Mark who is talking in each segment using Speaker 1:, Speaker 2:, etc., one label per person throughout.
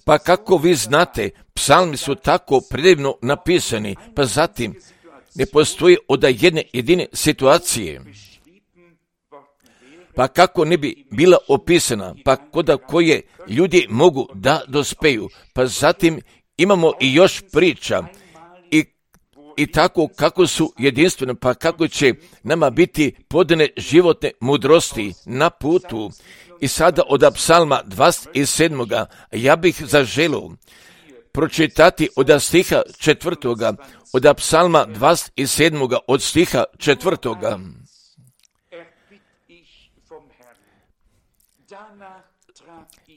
Speaker 1: Pa kako vi znate, psalmi su tako predivno napisani, pa zatim ne postoji od jedne jedine situacije. Pa kako ne bi bila opisana, pa koda koje ljudi mogu da dospeju, pa zatim imamo i još priča i tako kako su jedinstvene, pa kako će nama biti podane životne mudrosti na putu. I sada od psalma 27. ja bih zaželio pročitati od stiha 4. od psalma 27. od stiha 4.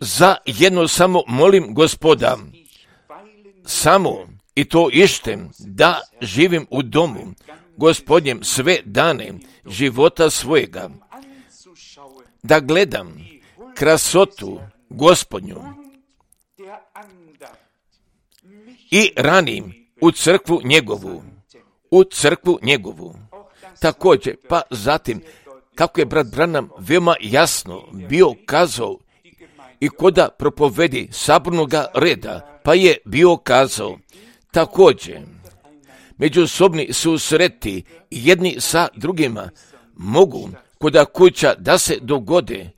Speaker 1: Za jedno samo molim Gospoda, samo i to ištem, da živim u domu Gospodnjem sve dane života svojega, da gledam krasotu Gospodnju i ranim u crkvu njegovu. Također, pa zatim, kako je brat Branham veoma jasno bio kazao i koda propovedi sabornoga reda, pa je bio kazao, također, međusobni susreti jedni sa drugima mogu koda kuća da se dogode,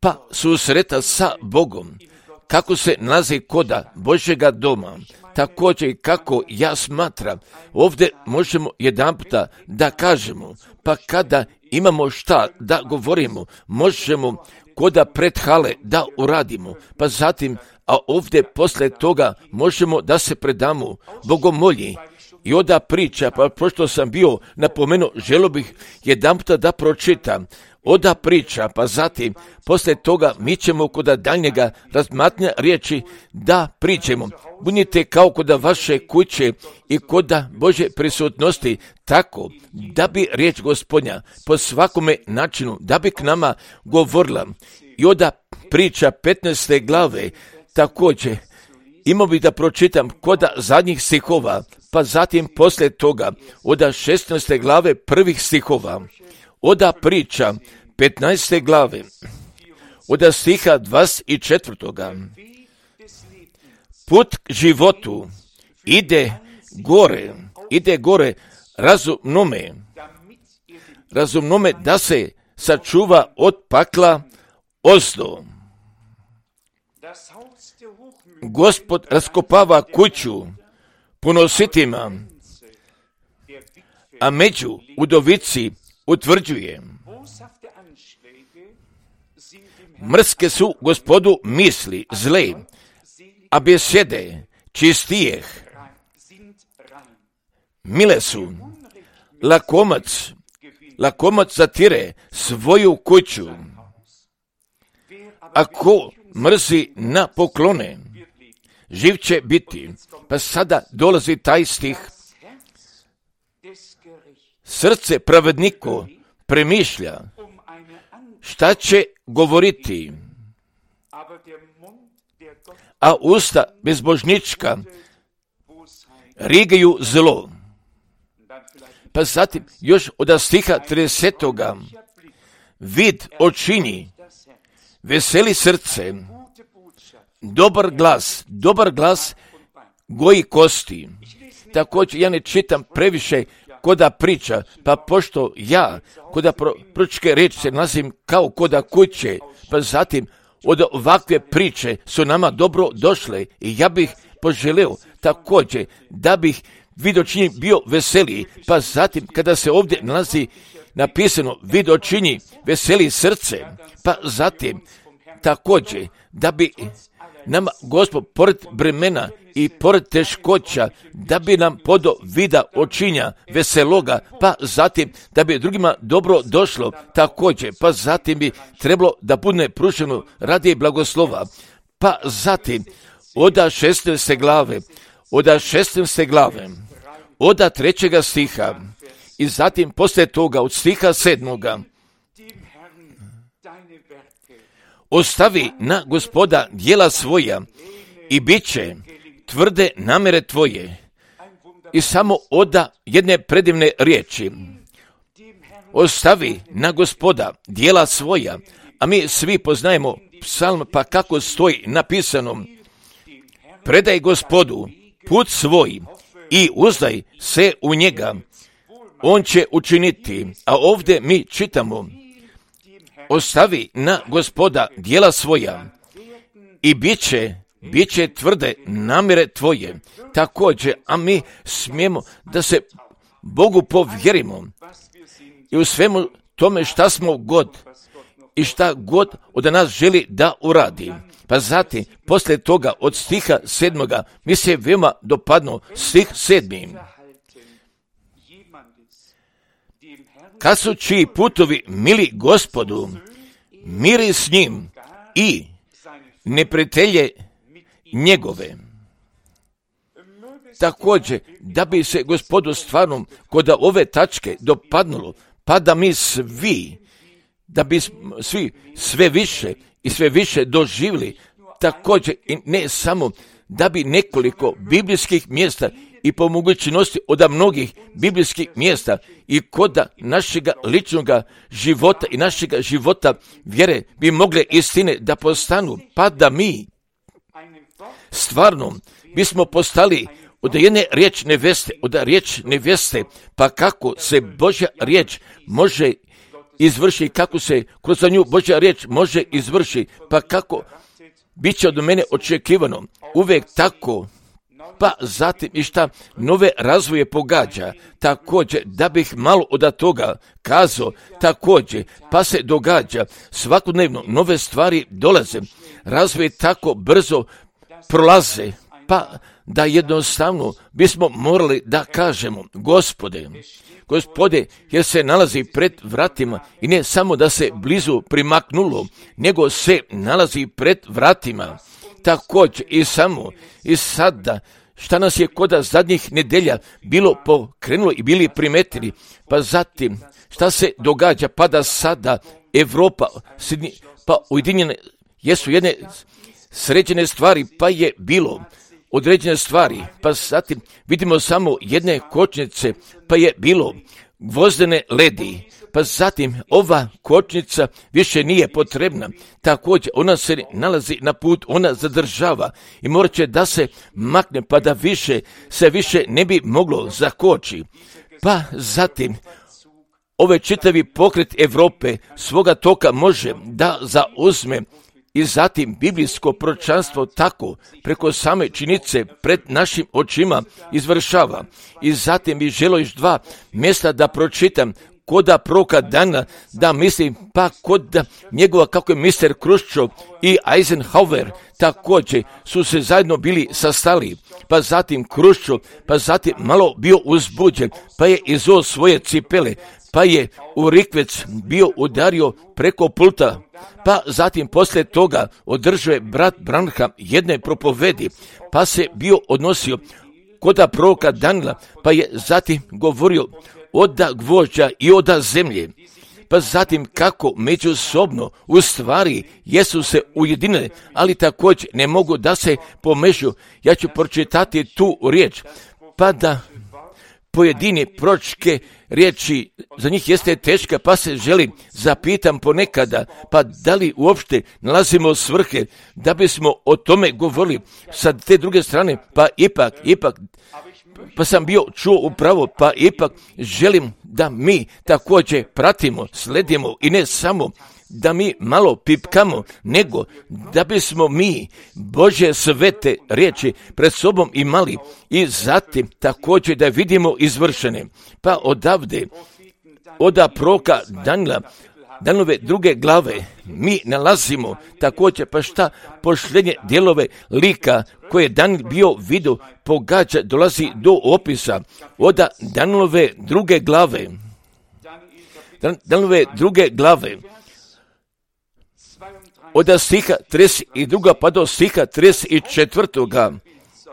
Speaker 1: pa susreta sa Bogom, kako se nalazi koda Božjega doma. Također kako ja smatram, ovdje možemo jedanputa da kažemo, pa kada imamo šta da govorimo, možemo koda pred hale da uradimo, pa zatim, a ovdje posle toga možemo da se predamo bogomolji. I onda priča, pa pošto sam bio napomenuo, želio bih jedanputa da pročitam, oda priča, pa zatim, posle toga mi ćemo koda daljnjega razmatnja riječi da pričemo. Budite kao koda vaše kuće i koda Božje prisutnosti, tako da bi riječ Gospodnja po svakome načinu, da bi k nama govorila. I oda priča 15. glave, također, imao bih da pročitam koda zadnjih stihova, pa zatim posle toga, oda 16. glave prvih stihova, oda priča 15. glave, oda stiha 24. Put k životu ide gore razumnome da se sačuva od pakla ozdo. Gospod raskopava kuću ponositima, a među udovici utvrđuje. Mrske su Gospodu misli zle, a besede čistijeh. Mile su, lakomac zatire svoju kuću, a ko mrzi na poklone, živ će biti. Pa sada dolazi taj stih. Srce pravedniko premišlja šta će govoriti, a usta bezbožnička rigaju zlo. Pa zatim još od stiha 30. Vid očini, veseli srce, dobar glas goji kosti. Također ja ne čitam previše koda priča, pa pošto ja koda proročke riječi se nalazim kao koda kuće, pa zatim od ovakve priče su nama dobro došle i ja bih poželeo također da bih vidočinji bio veseliji, pa zatim kada se ovdje nalazi napisano vidočinji veseli srce, pa zatim također da bi nama Gospod pored bremena i pored teškoća, da bi nam podo vida očinja veseloga, pa zatim da bi drugima dobro došlo također, pa zatim bi trebalo da bude pruženo radi blagoslova, pa zatim od 16. glave, od 3. stiha i zatim poslije toga od stiha 7. Ostavi na Gospoda djela svoja i bit će tvrde namere tvoje. I samo oda jedne predivne riječi. Ostavi na Gospoda djela svoja, A mi svi poznajemo psalm, pa kako stoji napisano: predaj Gospodu put svoj i uzdaj se u njega, on će učiniti. A ovdje mi čitamo: ostavi na Gospoda djela svoja i bit će tvrde namjere tvoje. Također, a mi smijemo da se Bogu povjerimo i u svemu tome šta smo god i šta god od nas želi da uradi. Pa zatim, poslije toga od stiha 7. mi se veoma dopadno stih 7. Kad su čiji putovi mili Gospodu, miri s njim i neprijatelje njegove. Također, da bi se Gospodu stvarno kod ove tačke dopadnulo, pa da mi svi, da bi svi sve više i sve više doživjeli, također i ne samo da bi nekoliko biblijskih mjesta i po mogućnosti od mnogih biblijskih mjesta i kod našega ličnog života i našega života vjere bi mogle istine da postanu, pa da mi stvarno bismo postali od jedne riječ neveste, pa kako se Božja riječ može izvrši, kako se kroz nju Božja riječ može izvrši, pa kako bit će od mene očekivano uvijek tako, pa zatim i šta nove razvoje pogađa, također da bih malo od toga kazao, također pa se događa svakodnevno nove stvari dolaze, razvoje tako brzo prolaze, pa da jednostavno bismo morali da kažemo: Gospode, jer se nalazi pred vratima i ne samo da se blizu primaknulo, nego se nalazi pred vratima. Također i samo i sada šta nas je kod zadnjih nedelja bilo pokrenulo i bili primetili, pa zatim šta se događa, pa da sada Evropa, pa ujedinjene jesu jedne sređene stvari, pa je bilo određene stvari, pa zatim vidimo samo jedne kočnice, pa je bilo gvozdene ledi, pa zatim ova kočnica više nije potrebna, također ona se nalazi na put, ona zadržava i morat će da se makne, pa da se više ne bi moglo zakoči. Pa zatim ovaj čitavi pokret Europe svoga toka može da zauzme i zatim biblijsko proročanstvo tako preko same činjenice pred našim očima izvršava. I zatim bi želio još 2 mjesta da pročitam koda proroka Dana, da mislim pa kod njegova kako je Mr. Khrushchev i Eisenhower također su se zajedno bili sastali, pa zatim Khrushchev, pa zatim malo bio uzbuđen, pa je izuo svoje cipele, pa je u rikvec bio udario preko pulta, pa zatim poslije toga održao je brat Branham jedne propovedi, pa se bio odnosio koda proroka Danila, pa je zatim govorio oda gvožđa i oda zemlje, pa zatim kako međusobno u stvari jesu se ujedinili, ali također ne mogu da se pomežu. Ja ću pročitati tu riječ, pa da pojedine proročke riječi za njih jeste teška, pa se želim zapitam ponekada, pa da li uopšte nalazimo svrhe da bismo o tome govorili sa te druge strane, pa ipak, pa sam bio čuo upravo, pa ipak želim da mi također pratimo, sledimo i ne samo da mi malo pipkamo, nego da bismo mi Božje svete riječi pred sobom imali i zatim također da vidimo izvršene. Pa odavde, od proroka Danila, Danilove 2. glave, mi nalazimo također pa šta posljednje dijelove lika koje Danil bio vidio pogađa, dolazi do opisa od Danilove 2. glave. Danilove 2. glave od stiha 32. pa do stiha 34.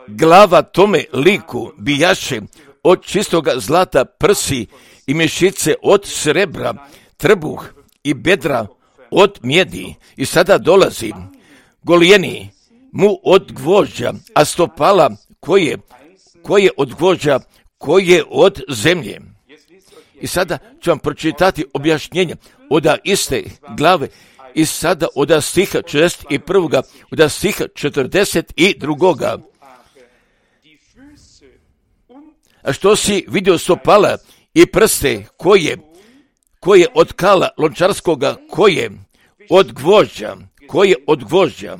Speaker 1: glava tome liku bijaše od čistoga zlata prsi i mišice od srebra, trbuh i bedra od mjedi. I sada dolazi golijeni mu od gvožđa, a stopala koje od gvožđa, koje od zemlje. I sada ću vam pročitati objašnjenje od iste glave I sada od stiha 41. od stiha 42. A što si vidio stopala i prste koje od kala lončarskoga, koje od gvožđa.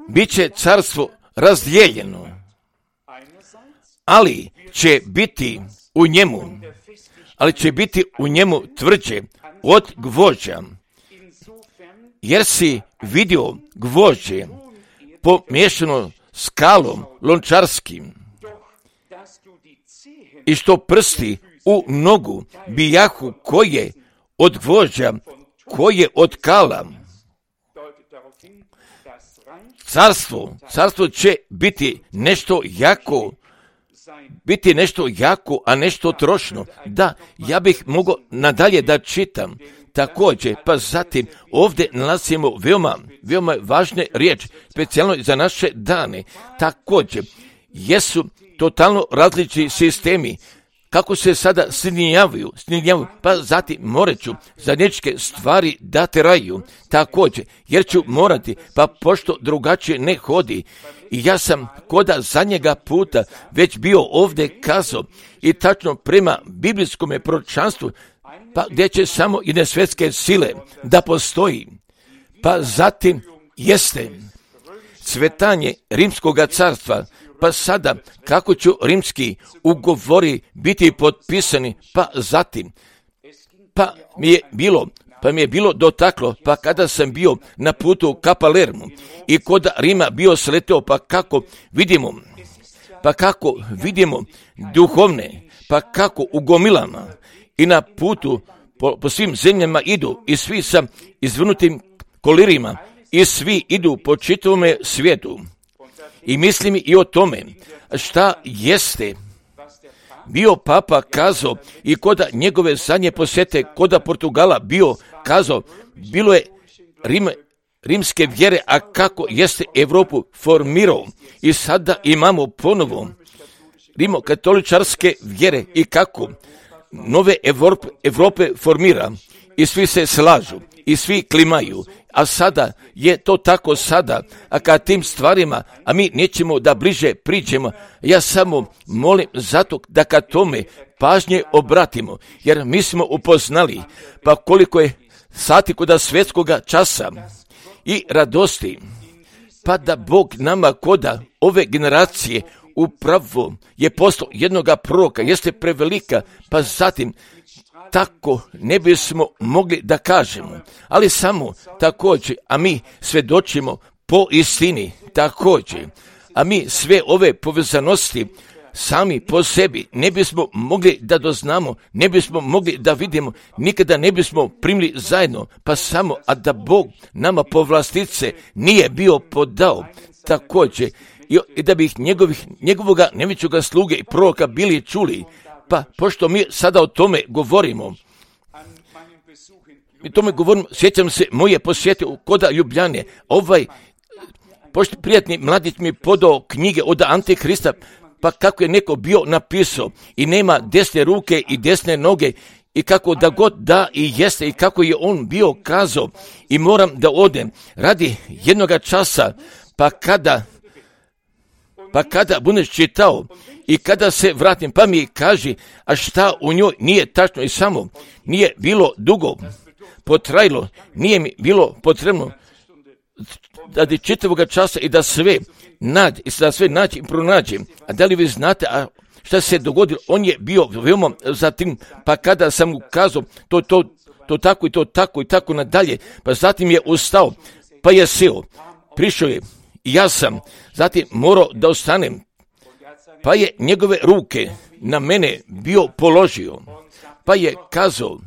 Speaker 1: Biće carstvo razdijeljeno, ali će biti u njemu tvrđe od gvožđa, jer si vidio gvožđe pomiješano s kalom lončarskim, i što prsti u nogu bijahu koje od gvožđa, koje od kala. Carstvo će biti nešto jako, a nešto trošno. Da, ja bih mogao nadalje da čitam. Također, pa zatim ovdje nalazimo veoma važne riječi, specijalno za naše dane. Također, jesu totalno različiti sistemi, kako se sada sjedinjavaju, pa zatim morat ću zajedničke stvari da teraju, također, jer ću morati, pa pošto drugačije ne hodi. I ja sam koda zadnjega puta već bio ovdje kazao i tačno prema biblijskom proročanstvu, pa gdje će samo jedne svjetske sile da postoji, pa zatim jeste cvetanje Rimskog carstva. Pa sada, kako ću rimski ugovori biti potpisani, pa zatim, pa mi je bilo dotaklo, pa kada sam bio na putu ka Palermu i kod Rima bio sleteo, pa kako vidimo duhovne, pa kako u gomilama i na putu po svim zemljama idu i svi sa izvrnutim kolirima i svi idu po čitavome svijetu. I mislim i o tome šta jeste bio papa kazao i koda njegove zadnje posjete koda Portugala bio kazao, bilo je rimske vjere, a kako jeste Europu formirao. I sada imamo ponovo rimokatoličarske vjere i kako nove Europe formira i svi se slažu i svi klimaju. A sada je to tako sada, a kad tim stvarima, a mi nećemo da bliže priđemo, ja samo molim zato da kad tome pažnje obratimo, jer mi smo upoznali, pa koliko je sati koda svjetskoga časa i radosti, pa da Bog nama koda ove generacije upravo je poslao jednoga proroka, jeste prevelika, pa zatim tako ne bismo mogli da kažemo, ali samo također, a mi svjedočimo po istini također, a mi sve ove povezanosti sami po sebi ne bismo mogli da doznamo, ne bismo mogli da vidimo, nikada ne bismo primili zajedno, pa samo, a da Bog nama povlastice nije bio podao također, i da bi njegovoga nevićoga sluge i proroka bili čuli. Pa, pošto mi sada o tome govorimo, sjećam se moje posjete u koda Ljubljane, pošto prijatni mladić mi podao knjige od Antikrista, pa kako je neko bio napisao i nema desne ruke i desne noge i kako da god da i jeste i kako je on bio kazao i moram da odem radi jednoga časa, pa kada budeš čitao i kada se vratim, pa mi kaži, a šta u njoj nije tačno i samo nije bilo dugo potrajalo, nije mi bilo potrebno radi čitavoga časa i da sve nađe i pronađe. A da li vi znate šta se dogodilo? On je bio veoma zatim, pa kada sam mu kazao to tako i to tako i tako nadalje, pa zatim je ustao, pa je seo, prišao je i ja sam zatim morao da ostanem, pa je njegove ruke na mene bio položio, pa je kazao,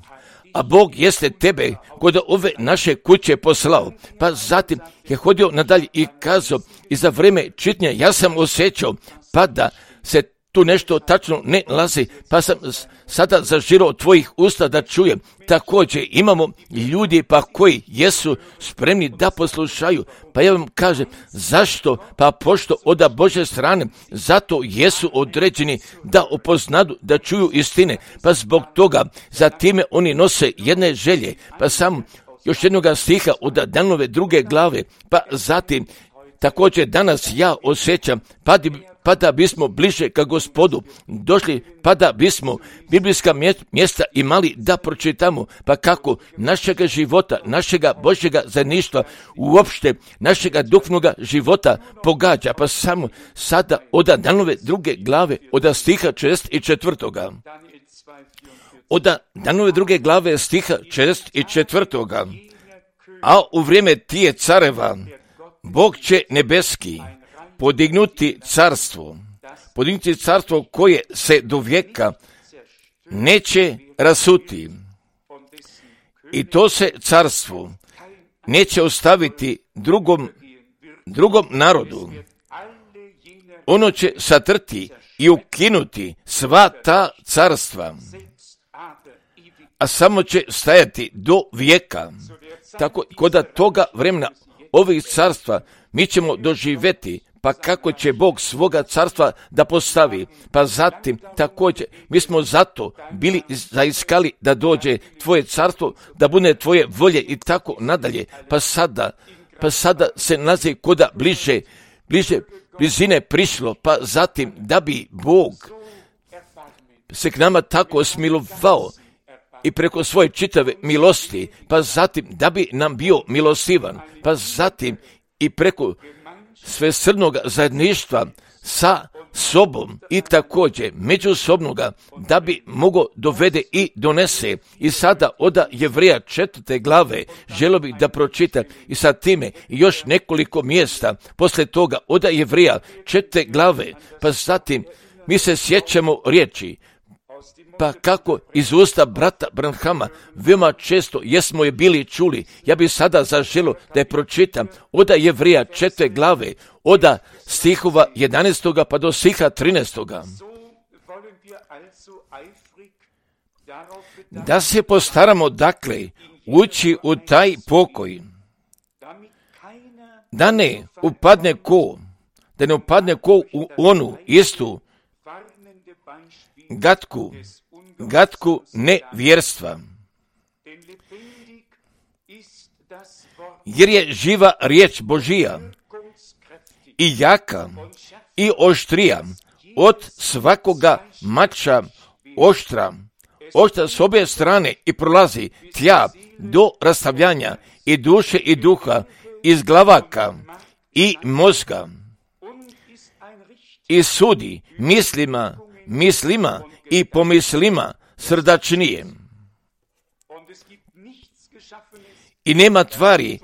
Speaker 1: a Bog jeste tebe kod ove naše kuće poslao. Pa zatim je hodio nadalje i kazao, i za vreme čitnja ja sam osjećao, pa da se tu nešto tačno ne lazi, pa sam sada zažirao tvojih usta da čujem. Također imamo ljudi pa koji jesu spremni da poslušaju. Pa ja vam kažem, zašto? Pa pošto oda Bože strane, zato jesu određeni da upoznadu, da čuju istine. Pa zbog toga, za time oni nose jedne želje. Pa samo još jednoga stiha od Danove 2. glave, pa zatim također danas ja osjećam, pa da bismo bliže ka Gospodu došli, pa da bismo biblijska mjesta imali da pročitamo, pa kako našega života, našega Božjega zajedništva, uopšte našega duhovnoga života pogađa, pa samo sada od Danove 2. glave, od stiha 6. i 4. Od Danove 2. glave stiha 6. i 4. A u vrijeme tije careva, Bog će nebeski podignuti carstvo koje se do vijeka neće rasuti. I to se carstvo neće ostaviti drugom narodu. Ono će satrti i ukinuti sva ta carstva, a samo će stajati do vijeka. Tako kod toga vremena ovih carstva mi ćemo doživjeti, pa kako će Bog svoga carstva da postavi. Pa zatim također mi smo zato bili zaiskali da dođe tvoje carstvo, da bude tvoje volje i tako nadalje. Pa sada se nalazi koda blizine prišlo, pa zatim da bi Bog se k nama tako smilovao i preko svoje čitave milosti, pa zatim da bi nam bio milostivan, pa zatim i preko svesrdnog zajedništva sa sobom i također međusobnoga da bi mogo dovede i donese. I sada od Jevreja 4. glave želio bih da pročitam i sa time još nekoliko mjesta poslije toga od Jevreja 4. glave, pa zatim mi se sjećamo riječi, pa kako iz usta brata Branhama veoma često jesmo je bili čuli. Ja bih sada zaželio da je pročitam od Jevreja 4. glave, od stihova 11. pa do stiha 13. Da se postaramo dakle ući u taj pokoj, da ne upadne ko u onu istu gatku nevjerstva. Jer je živa riječ Božija i jaka i oštrija od svakoga mača oštra s obje strane i prolazi tja do rastavljanja i duše i duha, iz glavaka i mozga, i sudi mislima i pomislima srdačnijem. I nema tvari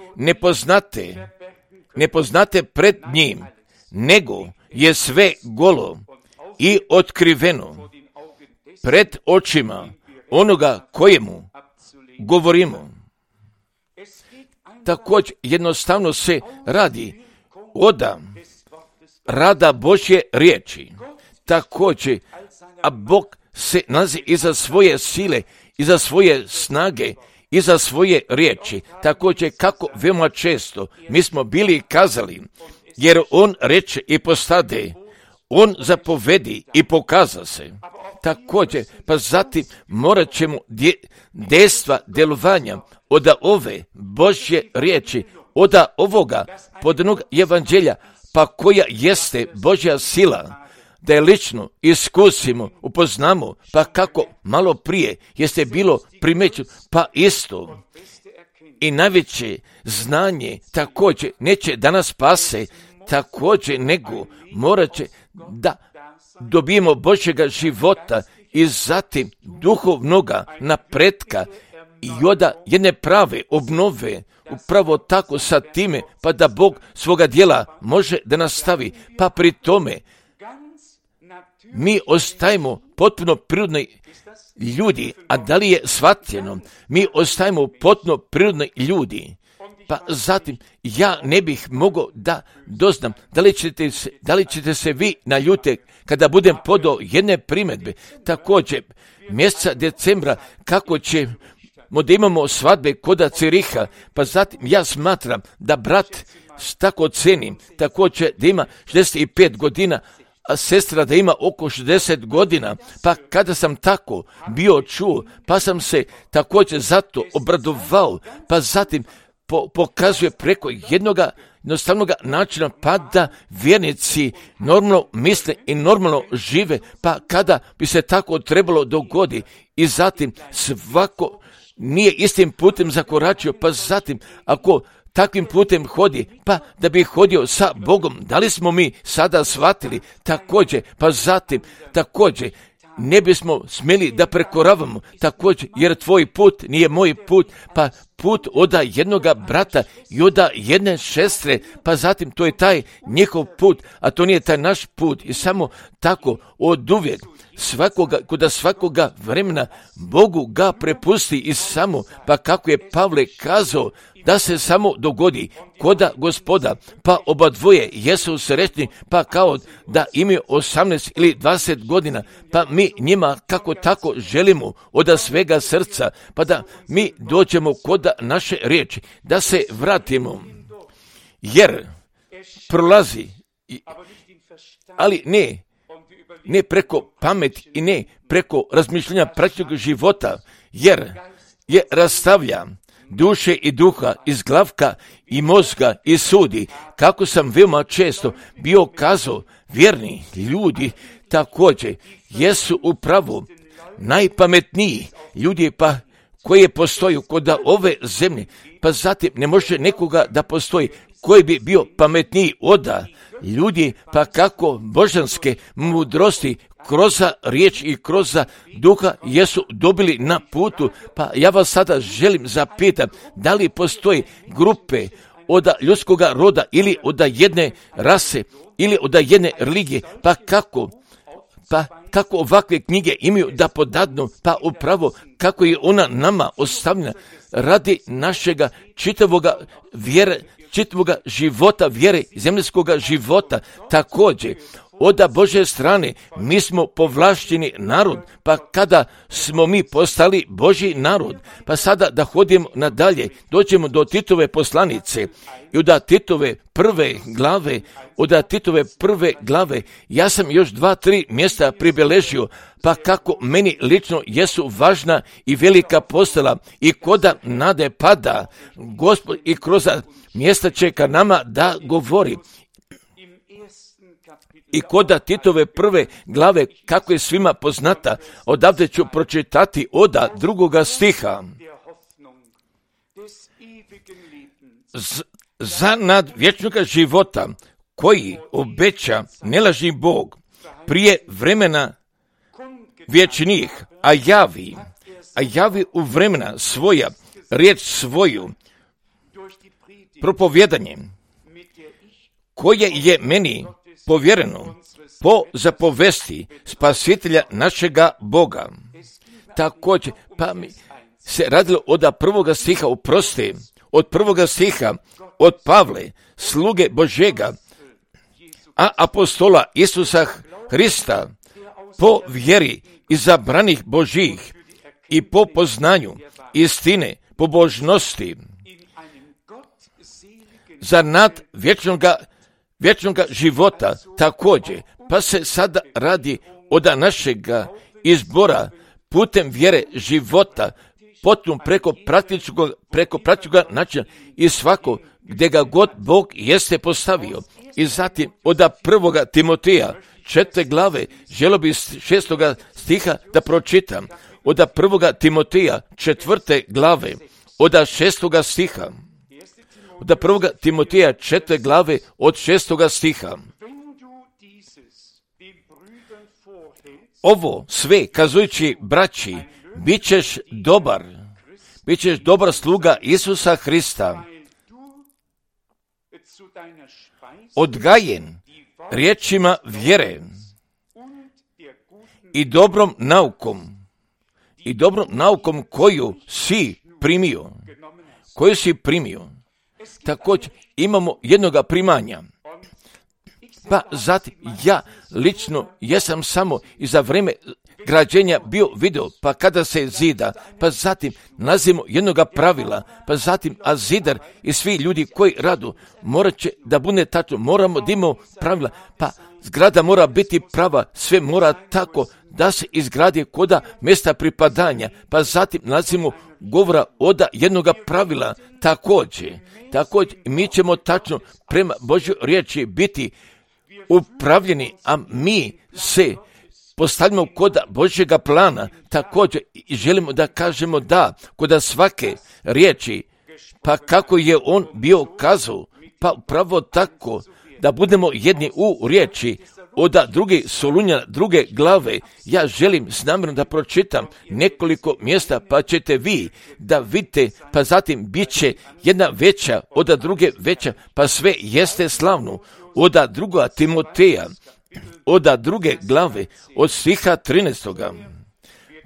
Speaker 1: nepoznate pred njim, nego je sve golo i otkriveno pred očima onoga kojemu govorimo. Također jednostavno se radi od rada Božje riječi. Također, a Bog se nalazi iza svoje sile, iza svoje snage, iza svoje riječi. Također, kako veoma često mi smo bili kazali, jer on reče i postade, on zapovedi i pokaza se. Također, pa zatim morat ćemo dejstva djelovanja od ove Božje riječi, od ovoga podnog evanđelja, pa koja jeste Božja sila, da je lično iskusimo, upoznamo, pa kako malo prije jeste bilo primećeno, pa isto. I najveće znanje također neće da nas spase, također nego morat će da dobijemo Božjega života i zatim duhovnoga napretka i od jedne prave obnove, upravo tako sa time, pa da Bog svoga djela može da nastavi, pa pri tome mi ostajemo potpuno prirodni ljudi, a da li je shvatljeno, mi ostajemo potpuno prirodni ljudi pa zatim ja ne bih mogao da doznam da li ćete se vi naljuti kada budem podao jedne primjedbe. Također, mjeseca decembra kako ćemo da imamo svadbe koda Ciriha, pa zatim ja smatram da brat tako cenim, također da ima 65 godina, a sestra da ima oko 60 godina, pa kada sam tako bio čuo, pa sam se također zato obradovao, pa zatim pokazuje preko jednostavnog načina, pa da vjernici normalno misle i normalno žive, pa kada bi se tako trebalo dogodi i zatim svako nije istim putem zakoračio, pa zatim ako takvim putem hodi, pa da bi hodio sa Bogom, da li smo mi sada shvatili također, pa zatim također ne bismo smjeli da prekoravamo također, jer tvoj put nije moj put, pa put od jednoga brata i od jedne sestre, pa zatim to je taj njihov put, a to nije taj naš put i samo tako oduvijek kod svakoga vremena Bogu ga prepusti i samo, pa kako je Pavle kazao, da se samo dogodi koda Gospoda, pa oba dvoje jesu srećni, pa kao da imaju 18 ili 20 godina, pa mi njima kako tako želimo od svega srca, pa da mi dođemo koda naše riječi, da se vratimo, jer prolazi, ali ne preko pameti i ne preko razmišljanja praktičnog života, jer je rastavlja duše i duha iz glavka i mozga i sudi, kako sam veoma često bio kazao, vjerni ljudi također jesu upravo najpametniji ljudi pa koji postoju kod ove zemlje, pa zatim ne može nekoga da postoji koji bi bio pametniji od ljudi, pa kako božanske mudrosti kroz riječ i kroz duha jesu dobili na putu, pa ja vas sada želim zapitati, da li postoji grupe od ljudskoga roda ili od jedne rase ili od jedne religije, pa kako ovakve knjige imaju da podadnu, pa upravo kako je ona nama ostavljena radi našega čitavoga života, vjere, zemljskoga života. Također, od Božje strane mi smo povlašteni narod, pa kada smo mi postali Božji narod, pa sada da hodimo nadalje, dođemo do Titove poslanice i od Titove prve glave, ja sam još 2-3 mjesta pribeležio, pa kako meni lično jesu važna i velika postala i koda nade pada, Gospod i kroz mjesta će ka nama da govori. I koda Titove prve glave, kako je svima poznata, odavde ću pročitati od 2. stiha. Za nad vječnoga života, koji obeća nelažni Bog, prije vremena vječnih, a javi u vremena svoja, riječ svoju, propovjedanjem, koje je meni povjereno po zapovesti spasitelja našega Boga. Također, pa mi se radilo od 1. stiha, od 1. stiha, od Pavle, sluge Božega, a apostola Isusa Hrista, po vjeri izabranih Božih i po poznanju istine, pobožnosti, za nad vječnoga života također, pa se sada radi od našega izbora putem vjere života, potom preko praktičnog načina i svako gdje ga god Bog jeste postavio. I zatim od 1. Timoteja 4. glave, želio bi 6. stiha da pročitam, od 1. Timoteja 4. glave, od 6. stiha. Od 1. Timoteja 4. glave od 6. stiha. Ovo sve kazujući braći, bit ćeš dobar sluga Isusa Hrista, odgajen riječima vjere i dobrom naukom koju si primio. također imamo jednoga primanja. Pa zatim ja lično jesam samo i za vrijeme građenja bio video, pa kada se zida, pa zatim nalazimo jednoga pravila, pa zatim a zidar i svi ljudi koji radu morat će da bude tačno, moramo da imamo pravila, pa zgrada mora biti prava, sve mora tako da se izgradi koda mjesta pripadanja, pa zatim nalazimo govora oda jednoga pravila također mi ćemo tačno prema Božjoj riječi biti upravljeni, a mi se postavljamo kod Božjega plana, također i želimo da kažemo da kod svake riječi, pa kako je on bio kazao, pa upravo tako da budemo jedni u riječi, od druge Solunjana, druge glave. Ja želim s namjerom da pročitam nekoliko mjesta, pa ćete vi da vidite, pa zatim bit će jedna veća, od druge veća, pa sve jeste slavno. Od druga Timoteja, od druge glave, od stiha 13.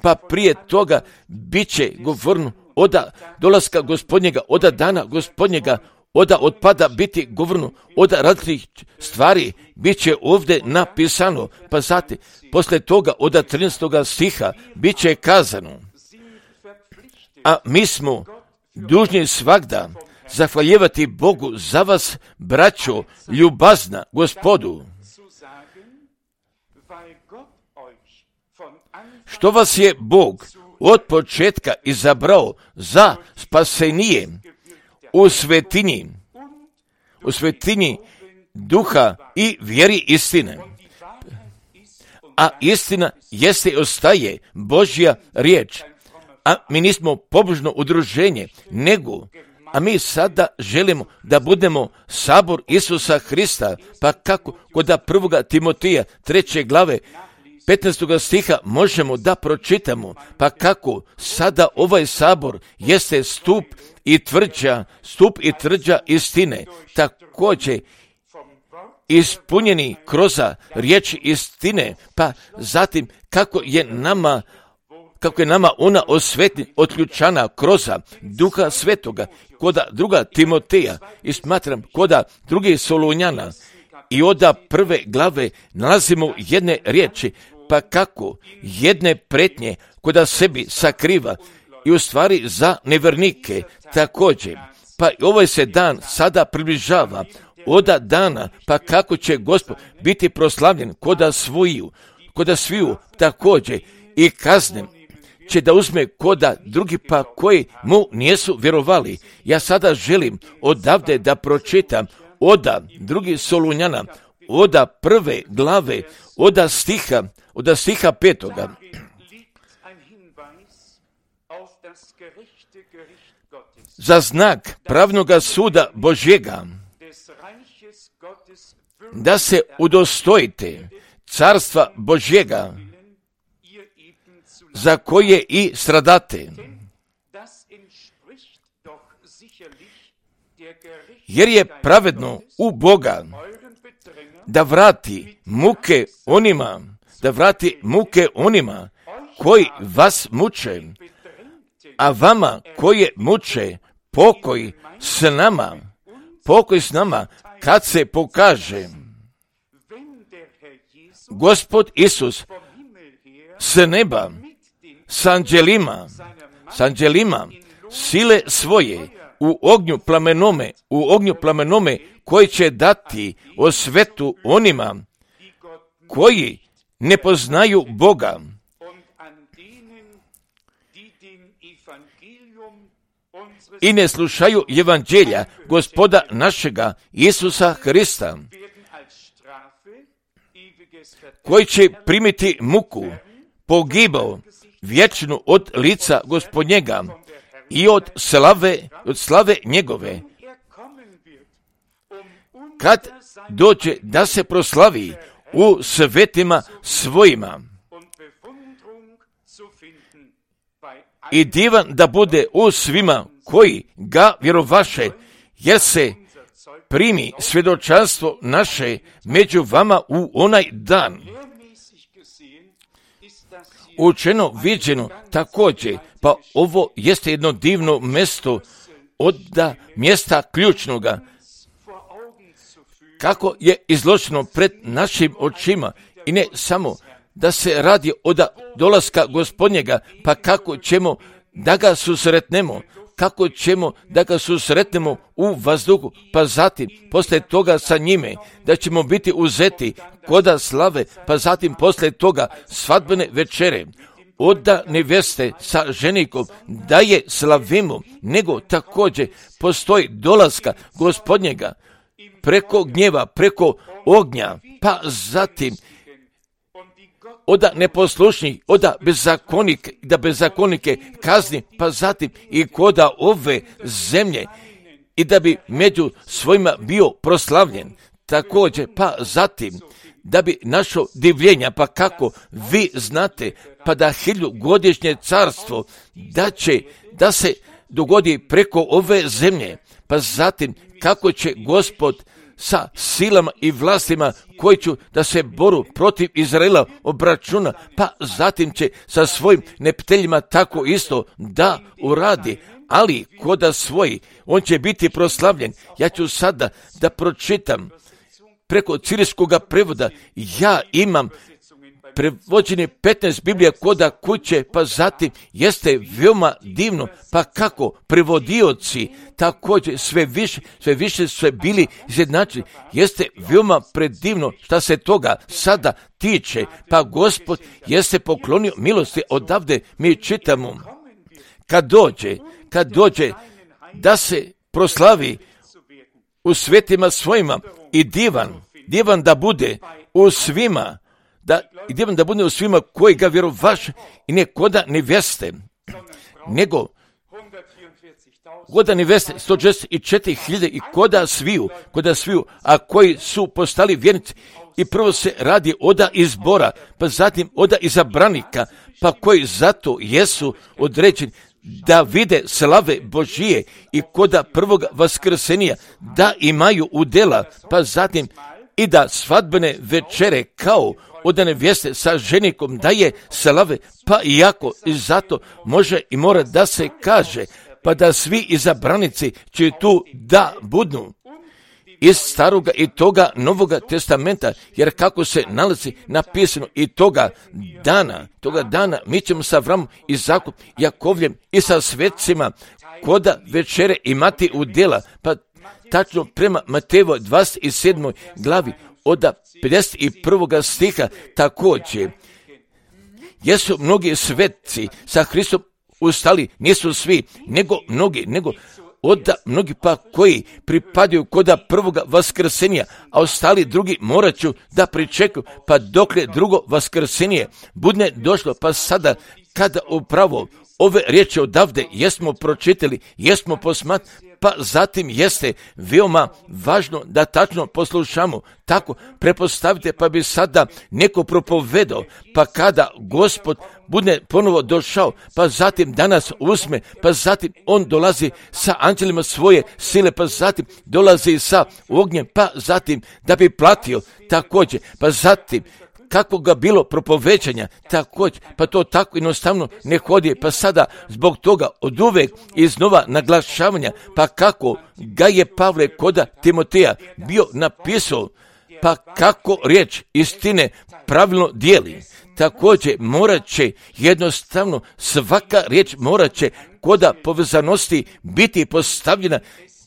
Speaker 1: Pa prije toga bit će govorno od dolaska Gospodnjega, od dana Gospodnjega, od otpada biti govorno, od različitih stvari bit će ovdje napisano, pa zatim poslije toga od 13. stiha bit će kazano, a mi smo dužni svagda zahvaljivati Bogu za vas, braćo, ljubazna Gospodu, što vas je Bog od početka izabrao za spasenije u svetinji duha i vjeri istine. A istina jeste i ostaje Božja riječ. A mi nismo pobožno udruženje, nego, a mi sada želimo da budemo sabor Isusa Hrista, pa kako kod 1. Timoteja 3. glave 15. stiha možemo da pročitamo, pa kako sada ovaj sabor jeste stup i tvrđa istine, također ispunjeni kroz riječi istine, pa zatim kako je nama ona otključana kroz Duha Svetoga, kod 2. Timoteja i smatram kod 2. Solunjana i od 1. glave nalazimo jedne riječi, pa kako jedne pretnje kod sebi sakriva i u stvari za nevernike također. Pa ovaj se dan sada približava od dana, pa kako će Gospod biti proslavljen kod sviju također i kazne će da uzme kod drugi pa koji mu nisu vjerovali. Ja sada želim odavde da pročitam od 2. Solunjana, od 1. glave, od stiha 5. Za znak pravnoga suda Božjega, da se udostojite carstva Božjega, za koje i stradate. Jer je pravedno u Boga da vrati muke onima koji vas muče, a vama koje muče pokoj s nama kad se pokaže Gospod Isus s neba s anđelima sile svoje u ognju plamenome koji će dati osvetu onima koji ne poznaju Boga i ne slušaju evanđelja Gospoda našega Isusa Hrista, koji će primiti muku, pogibao vječnu od lica Gospodnjega i od slave njegove, kad dođe da se proslavi u svetima svojima i divan da bude u svima koji ga vjerovaše, jer se primi svjedočanstvo naše među vama u onaj dan. Učeno, viđeno također, pa ovo jeste jedno divno mjesto od mjesta ključnoga, kako je izloženo pred našim očima, i ne samo da se radi od dolaska Gospodnjega, pa kako ćemo da ga susretnemo, kako ćemo da ga susretnemo u vazduhu, pa zatim poslije toga sa njime, da ćemo biti uzeti koda slave, pa zatim poslije toga svadbene večere, od neveste sa ženikom, da je slavimo, nego također postoji dolaska Gospodnjega preko gnjeva, preko ognja, pa zatim od neposlušnih, od bezakonike kazni, pa zatim i koda ove zemlje, i da bi među svojima bio proslavljen. Također, pa zatim, da bi našo divljenja, pa kako vi znate, pa da 1000-godišnje carstvo, da se dogodi preko ove zemlje, pa zatim kako će Gospod sa silama i vlastima koji će da se boru protiv Izraela obračuna, pa zatim će sa svojim neprijateljima tako isto da uradi, ali koda svoji, on će biti proslavljen. Ja ću sada da pročitam preko cirilskog prevoda. Ja imam prevođenje 15 Biblija koda kuće, pa zatim jeste veoma divno, pa kako prevodioci također sve više su bili izjednačeni. Jeste veoma predivno šta se toga sada tiče, pa Gospod jeste poklonio milosti. Odavde mi čitamo, kad dođe da se proslavi u svetima svojima, i divan da bude u svima, da bude u svima koji ga vjerovaše, i ne koda neveste, nego koda neveste 144.000 i koda sviju, a koji su postali vjernici. I prvo se radi oda izbora, pa zatim oda izabranika, pa koji zato jesu određeni da vide slave Božije i koda prvog vaskrsenija, da imaju udjela, pa zatim i da svadbene večere kao od nevjeste sa ženikom da je slave, pa iako i zato može i mora da se kaže, pa da svi izabranici će tu da budu iz staroga i toga Novoga testamenta, jer kako se nalazi napisano i toga dana mi ćemo sa Avramom, Izakom, Jakovljem i sa svetcima koda večere imati udjela, pa tačno prema Matejevoj 27. glavi od 51. stiha također. Jesu mnogi svetci sa Hristom ustali, nisu svi, nego mnogi pa koji pripadaju koda prvoga vaskrsenija, a ostali drugi morat ću da pričekaju, pa dokle drugo vaskrsenije budne došlo, pa sada kada upravo ove riječi odavde jesmo pročitali, jesmo posmatrali, pa zatim jeste veoma važno da tačno poslušamo. Tako prepostavite, pa bi sada neko propovedao, pa kada Gospod bude ponovo došao, pa zatim danas uzme, pa zatim on dolazi sa anđelima svoje sile, pa zatim dolazi sa ognjem, pa zatim da bi platio također, pa zatim kako ga bilo propovećanja, također, pa to tako jednostavno ne hodi, pa sada zbog toga od uvek iznova naglašavanja, pa kako ga je Pavle koda Timoteja bio napisao, pa kako riječ istine pravilno dijeli. Također morat će jednostavno svaka riječ morat će koda povezanosti biti postavljena,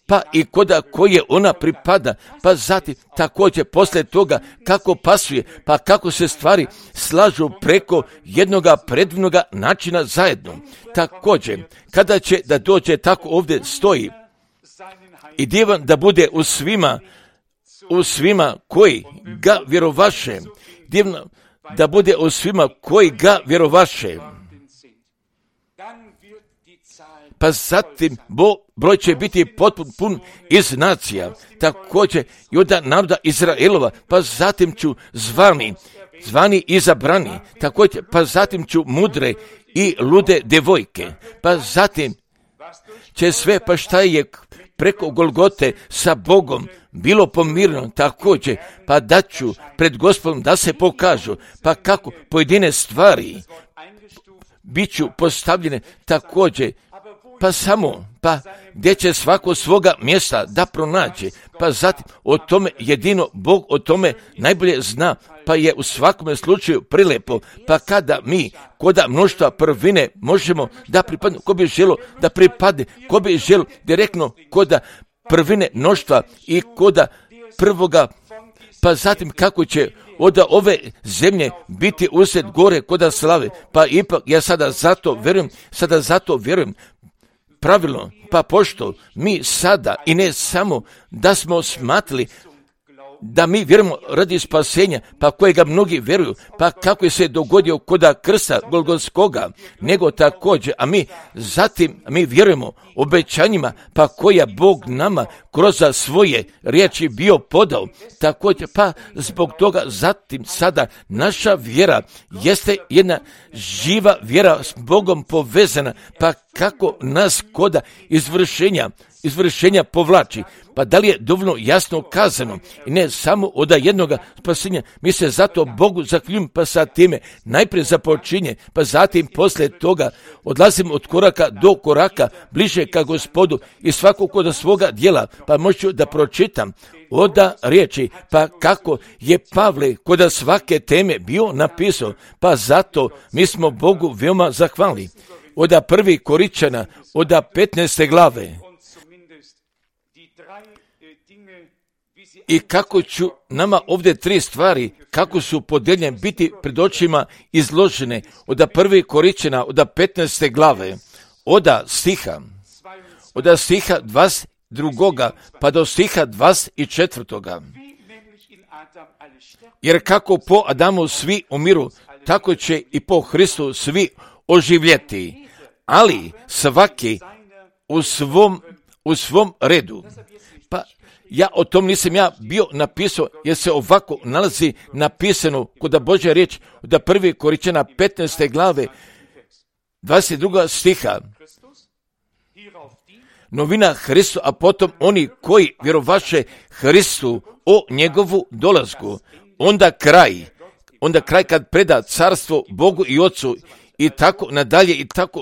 Speaker 1: pa i koda koje ona pripada, pa zatim također poslije toga kako pasuje, pa kako se stvari slažu preko jednoga predivnoga načina zajedno. Također, kada će da dođe, tako ovdje stoji, i divan da bude u svima koji ga vjerovaše, divno da bude u svima koji ga vjerovaše. Pa zatim broj će biti potpuno pun iz nacija, također i od naroda Izraelova, pa zatim ću zvani izabrani, također, pa zatim ću mudre i lude devojke, pa zatim će sve, pa šta je preko Golgote sa Bogom bilo pomirno, također, pa da ću pred Gospodom da se pokažu, pa kako pojedine stvari bit ću postavljene također, pa samo, pa gdje će svako svoga mjesta da pronađe, pa zatim o tome jedino Bog o tome najbolje zna, pa je u svakome slučaju prilepo, pa kada mi koda mnoštva prvine možemo da pripadne, ko bi želo da pripadne, ko bi želo direktno koda prvine mnoštva i koda prvoga, pa zatim kako će od ove zemlje biti usred gore koda slave, pa ipak ja sada zato vjerujem pravilno, pa pošto mi sada i ne samo da smo smatrali da mi vjerujemo radi spasenja, pa kojega mnogi vjeruju, pa kako je se dogodio koda krsta Golgotskoga, nego također, a mi vjerujemo obećanjima, pa koja Bog nama kroz svoje riječi bio podao, također, pa zbog toga zatim sada naša vjera jeste jedna živa vjera s Bogom povezana, pa kako nas koda izvršenja povlači, pa da li je dovoljno jasno kazano i ne samo od jednoga spasenja, mi se zato Bogu zahvaljujem, pa sa time najprije započinje, pa zatim poslije toga odlazimo od koraka do koraka bliže ka Gospodu i svako kod svoga djela, pa možu da pročitam oda riječi, pa kako je Pavle kod svake teme bio napisao, pa zato mi smo Bogu veoma zahvalni. Oda 1. Koričana, oda 15. glave. I kako ću nama ovdje 3 stvari, kako su podijeljene, biti pred očima izložene, oda 1. Koričana, oda 15. glave, oda stiha 22. pa do stiha 24. Jer kako po Adamu svi umiru, tako će i po Hristu svi oživjeti, ali svaki u svom redu. Pa ja o tom nisam bio napisao, jer se ovako nalazi napisano kod Božja riječ da 1. Koričana 15. glave 22. stiha. Novina Hristu, a potom oni koji vjerovaše Hristu o njegovu dolasku. Onda kraj kad preda carstvo Bogu i Ocu i tako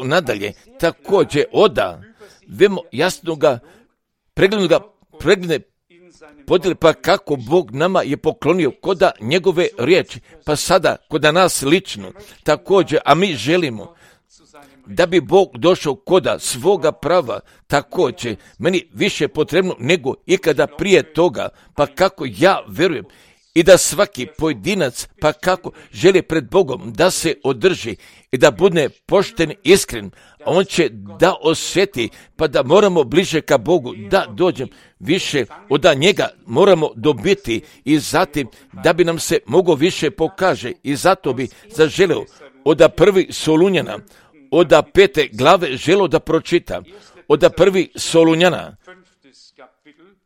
Speaker 1: nadalje. Također oda vemo jasnoga pregledne podijeli, pa kako Bog nama je poklonio koda njegove riječi, pa sada koda nas lično također, a mi želimo da bi Bog došao koda svoga prava, također meni više potrebno nego ikada prije toga, pa kako ja vjerujem i da svaki pojedinac, pa kako želi pred Bogom da se održi i da bude pošten, iskren, a on će da osjeti, pa da moramo bliže ka Bogu, da dođem više od njega moramo dobiti i zatim da bi nam se mogo više pokaže i zato bi zaželeo od 1. Solunjana, od 5. glave želo da pročita, od 1. Solunjana,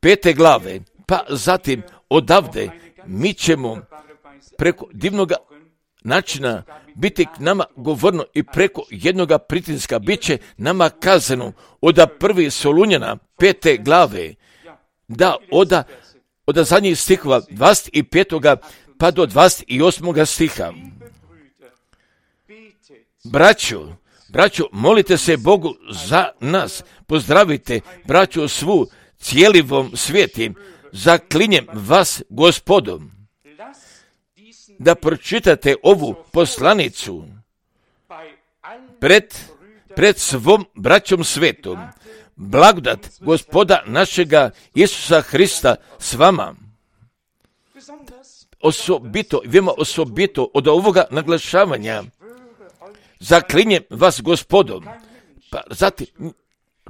Speaker 1: 5. glave, pa zatim odavde mi ćemo preko divnoga načina biti k nama govorno i preko jednoga pritiska bit će nama kazano od 1. Solunjana 5. glave, da od zadnjih stihova 25. pa do 28. stiha. Braćo, molite se Bogu za nas, pozdravite braću svu cijelivom svijetim, zaklinjem vas Gospodom, da pročitate ovu poslanicu pred svom braćom svetom. Blagodat Gospoda našega Isusa Hrista s vama. Osobito od ovoga naglašavanja, zaklinjem vas Gospodom. Pa zatim,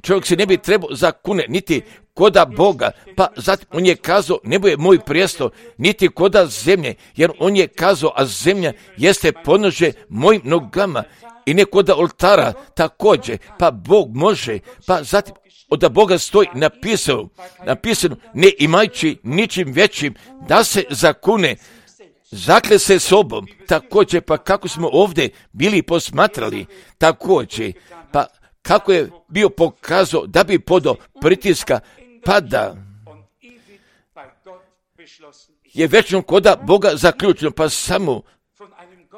Speaker 1: čovjek se ne bi trebao zakune niti koda Boga, pa zatim on je kazao, nebo je moj prijestol, niti koda zemlje, jer on je kazao, a zemlja jeste podnožje mojim nogama i ne koda oltara također, pa Bog može, pa zatim od Boga stoji napisano, ne imajući ničim većim da se zakune, zakle se sobom, također, pa kako smo ovdje bili posmatrali, također, pa kako je bio pokazao da bi podao pritiska, pa da je večno koda Boga zaključeno, pa samo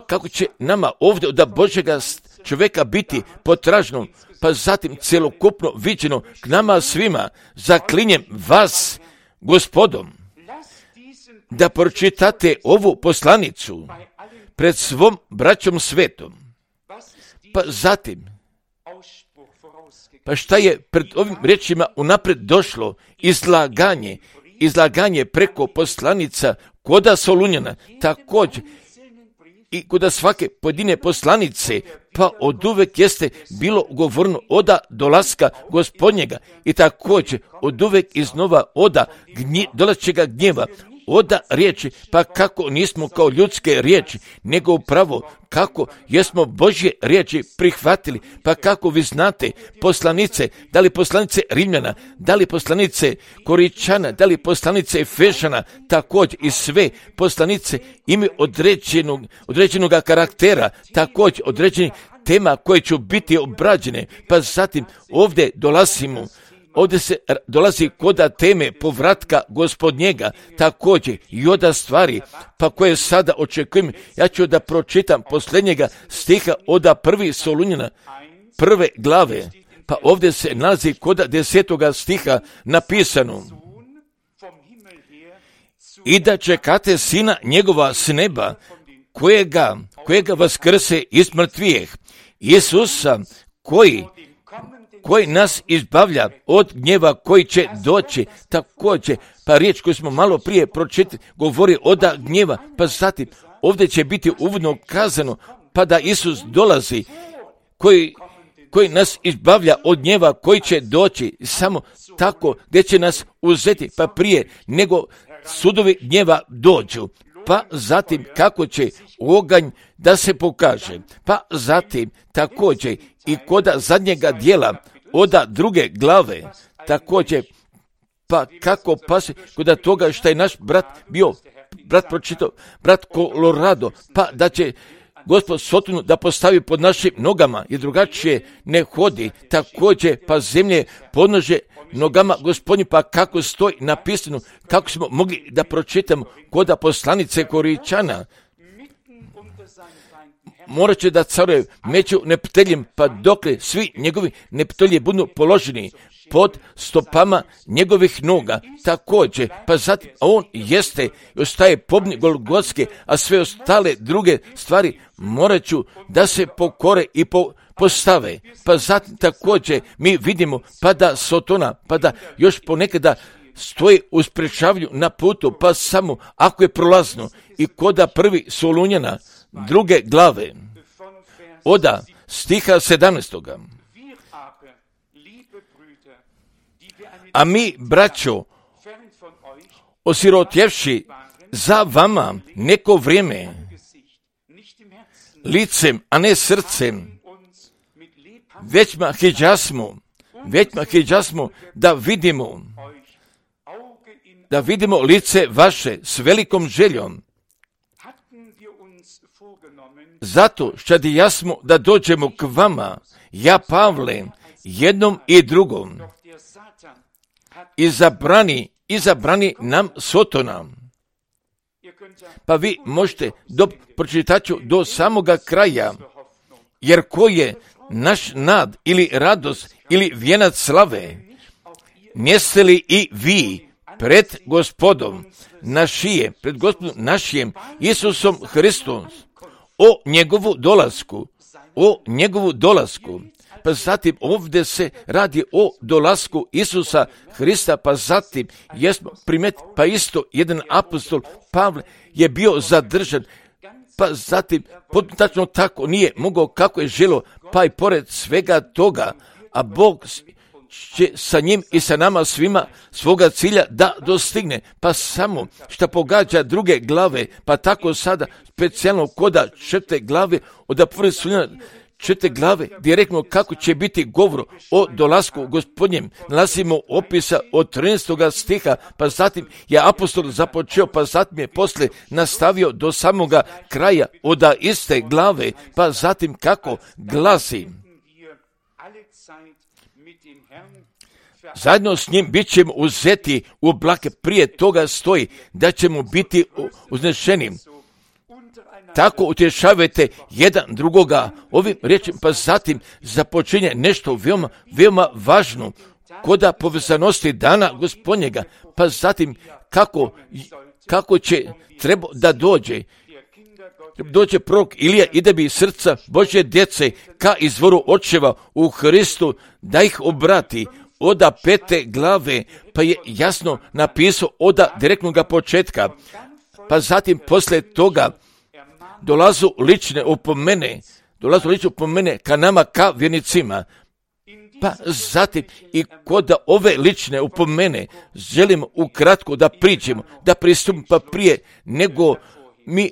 Speaker 1: kako će nama ovdje od Božjega čovjeka biti potražno, pa zatim celokupno viđeno k nama svima, zaklinjem vas, Gospodom, da pročitate ovu poslanicu pred svom braćom svetom. Pa zatim, pa šta je pred ovim riječima unaprijed došlo? Izlaganje preko poslanica koda Solunjana, također i koda svake pojedine poslanice, pa oduvek jeste bilo govorno oda dolaska Gospodnjega i također oduvek iznova oda dolazećega gnjeva, oda riječi, pa kako nismo kao ljudske riječi, nego upravo kako jesmo Božje riječi prihvatili, pa kako vi znate poslanice, da li poslanice Rimljana, da li poslanice Koričana, da li poslanice Efešana, također i sve poslanice imaju određenog karaktera, također određenih tema koje će biti obrađene, pa zatim ovdje se dolazi koda teme povratka Gospodnjega, također i oda stvari, pa koje sada očekujem. Ja ću da pročitam posljednjega stiha oda 1. Solunjana, 1. glave, pa ovdje se nalazi koda 10. stiha napisano: i da čekate sina njegova s neba, kojega vaskrse iz mrtvijeh, Isusa, koji nas izbavlja od gnjeva koji će doći. Također, pa riječ koju smo malo prije pročitali govori oda gnjeva, pa zatim ovdje će biti uvodno kazano, pa da Isus dolazi, koji nas izbavlja od gnjeva koji će doći, samo tako gdje će nas uzeti, pa prije nego sudovi gnjeva dođu, pa zatim kako će oganj da se pokaže, pa zatim također i koda zadnjega dijela oda 2. glave, također pa kako pase koda toga što je naš brat pročitao, brat Colorado, pa da će Gospod Sotonu da postavi pod našim nogama i drugačije ne hodi, također pa zemlje podnože nogama Gospodnji, pa kako stoji napisano, kako smo mogli da pročitamo koda poslanice Koričana. Morat će da caruje među neprijateljem, pa dokle svi njegovi neprijatelji budu položeni pod stopama njegovih noga. Također, pa zatim on jeste i ostaje pobni Golgotske, a sve ostale druge stvari morat ću da se pokore i postave. Pa zatim također mi vidimo pa da Sotona, pa da još ponekada stoji u sprečavanju na putu, pa samo ako je prolazno. I koda 1. Solunjana 2. glave oda stiha 17. A mi, braćo, osirotjevši za vama neko vrijeme, licem, a ne srcem, većma hiđasmo da vidimo lice vaše s velikom željom. Zato što jasmo da dođemo k vama, ja Pavle, jednom i drugom, izabrani nam Sotona. Pa vi možete pročitat ću do samoga kraja, jer ko je naš nad ili radost ili vijenac slave, neste li i vi pred Gospodom našijem Isusom Hristom o njegovu dolasku. Pa zatim ovdje se radi o dolasku Isusa Hrista, pa zatim jesmo pa isto jedan apostol Pavle je bio zadržan, pa zatim tačno tako nije mogao kako je želio, pa i pored svega toga, a Bog će sa njim i sa nama svima svoga cilja da dostigne, pa samo što pogađa 2. glave, pa tako sada specijalno koda 4. glave od 1. Solunjana 4. glave, direktno kako će biti govor o dolasku Gospodnjem. Nalazimo opisa od 13. stiha, pa zatim je apostol započeo, pa zatim je poslije nastavio do samoga kraja od iste glave, pa zatim kako glasi: zajedno s njim bit ćemo uzeti u oblake. Prije toga stoji da ćemo biti uznešeni. tako utješavajte jedan drugoga ovim riječima, pa zatim započinje nešto veoma, veoma važno koda povezanosti dana Gospodnjega, pa zatim kako će treba da dođe prorok Ilija i da bi srca Božje djece ka izvoru očeva u Hristu da ih obrati oda 5. glave, pa je jasno napisao oda direktnog početka, pa zatim posle toga dolazu lične opomene ka nama, ka vjernicima. Pa zatim i kod ove lične opomene želimo ukratko da priđemo, da pristupimo, pa prije nego mi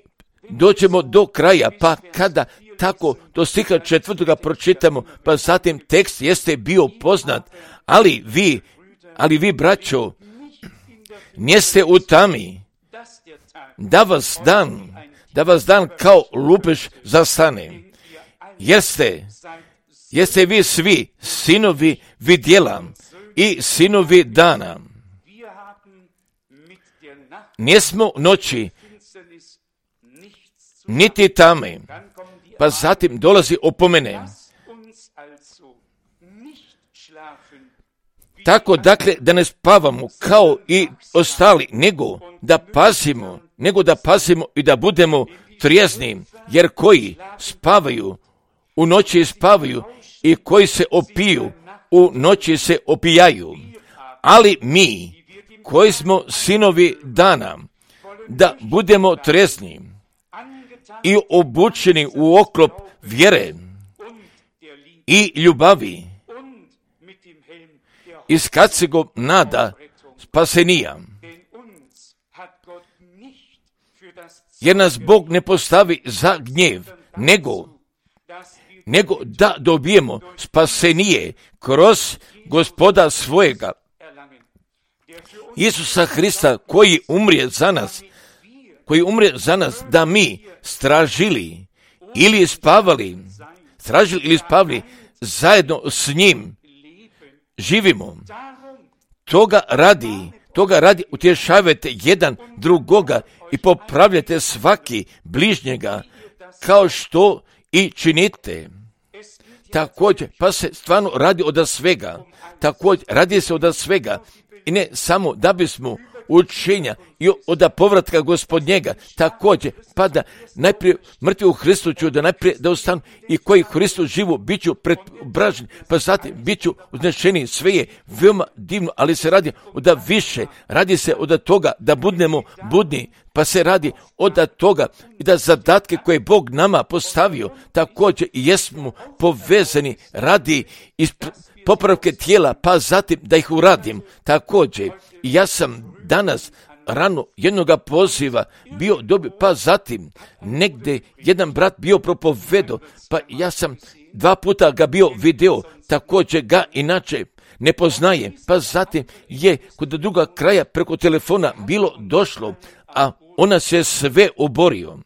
Speaker 1: dođemo do kraja, pa kada tako do stiha 4. pročitamo, pa zatim tekst jeste bio poznat, ali vi braćo, niste u tami, da vas dan kao lupež zastane, jeste vi svi sinovi vidjela i sinovi dana. Nismo noći, niti tame, pa zatim dolazi opomene. Tako dakle da ne spavamo kao i ostali, nego da pazimo i da budemo trijezni, jer koji spavaju u noći spavaju i koji se opiju u noći se opijaju. Ali mi koji smo sinovi dana, da budemo trijezni i obučeni u oklop vjere i ljubavi, iz kacego nada spasenija. Jer nas Bog ne postavi za gnjev, nego da dobijemo spasenije kroz Gospoda svojega, Isusa Hrista, koji umrije za nas, da mi stražili ili spavali zajedno s njim živimo. Toga radi utješavajte jedan drugoga i popravljajte svaki bližnjega, kao što i činite. Također, pa se stvarno radi radi se od svega i ne samo da bismo učenja i od povratka Gospodnjega, također, pa da najprije mrtvi u Hristu ću da najprije da ostanu i koji Hristu živu bit ću preobraženi, pa zatim bit ću uznešeni. Sve je veoma divno, ali se radi od više, radi se od toga da budemo budni, pa se radi od toga i da zadatke koje Bog nama postavio, također i jesmo povezani radi popravke tijela, pa zatim da ih uradim. Također, ja sam danas rano jednoga poziva bio dobio, pa zatim negdje jedan brat bio propovedo, pa ja sam 2 puta ga bio video, također ga inače ne poznaje, pa zatim je kod druga kraja preko telefona bilo došlo, a ona se sve oborio.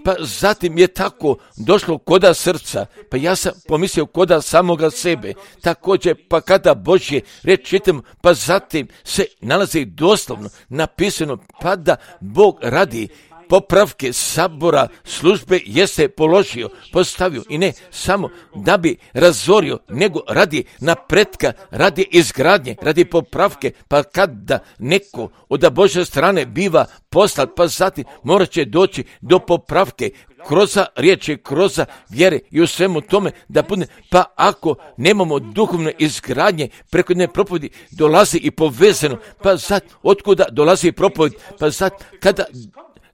Speaker 1: Pa zatim je tako došlo koda srca, pa ja sam pomislio koda samoga sebe. Također, pa kada Božje riječ čitam, pa zatim se nalazi doslovno napisano, pa da Bog radi popravke sabora službe jeste postavio i ne samo da bi razorio, nego radi napretka, radi izgradnje, radi popravke, pa kada neko od Božje strane biva poslat, pa zatim morat će doći do popravke kroz riječi, kroz vjere i u svemu tome da bude, pa ako nemamo duhovne izgradnje preko ne propovedi dolazi i povezano, pa zatim otkuda dolazi propoved, pa zatim kada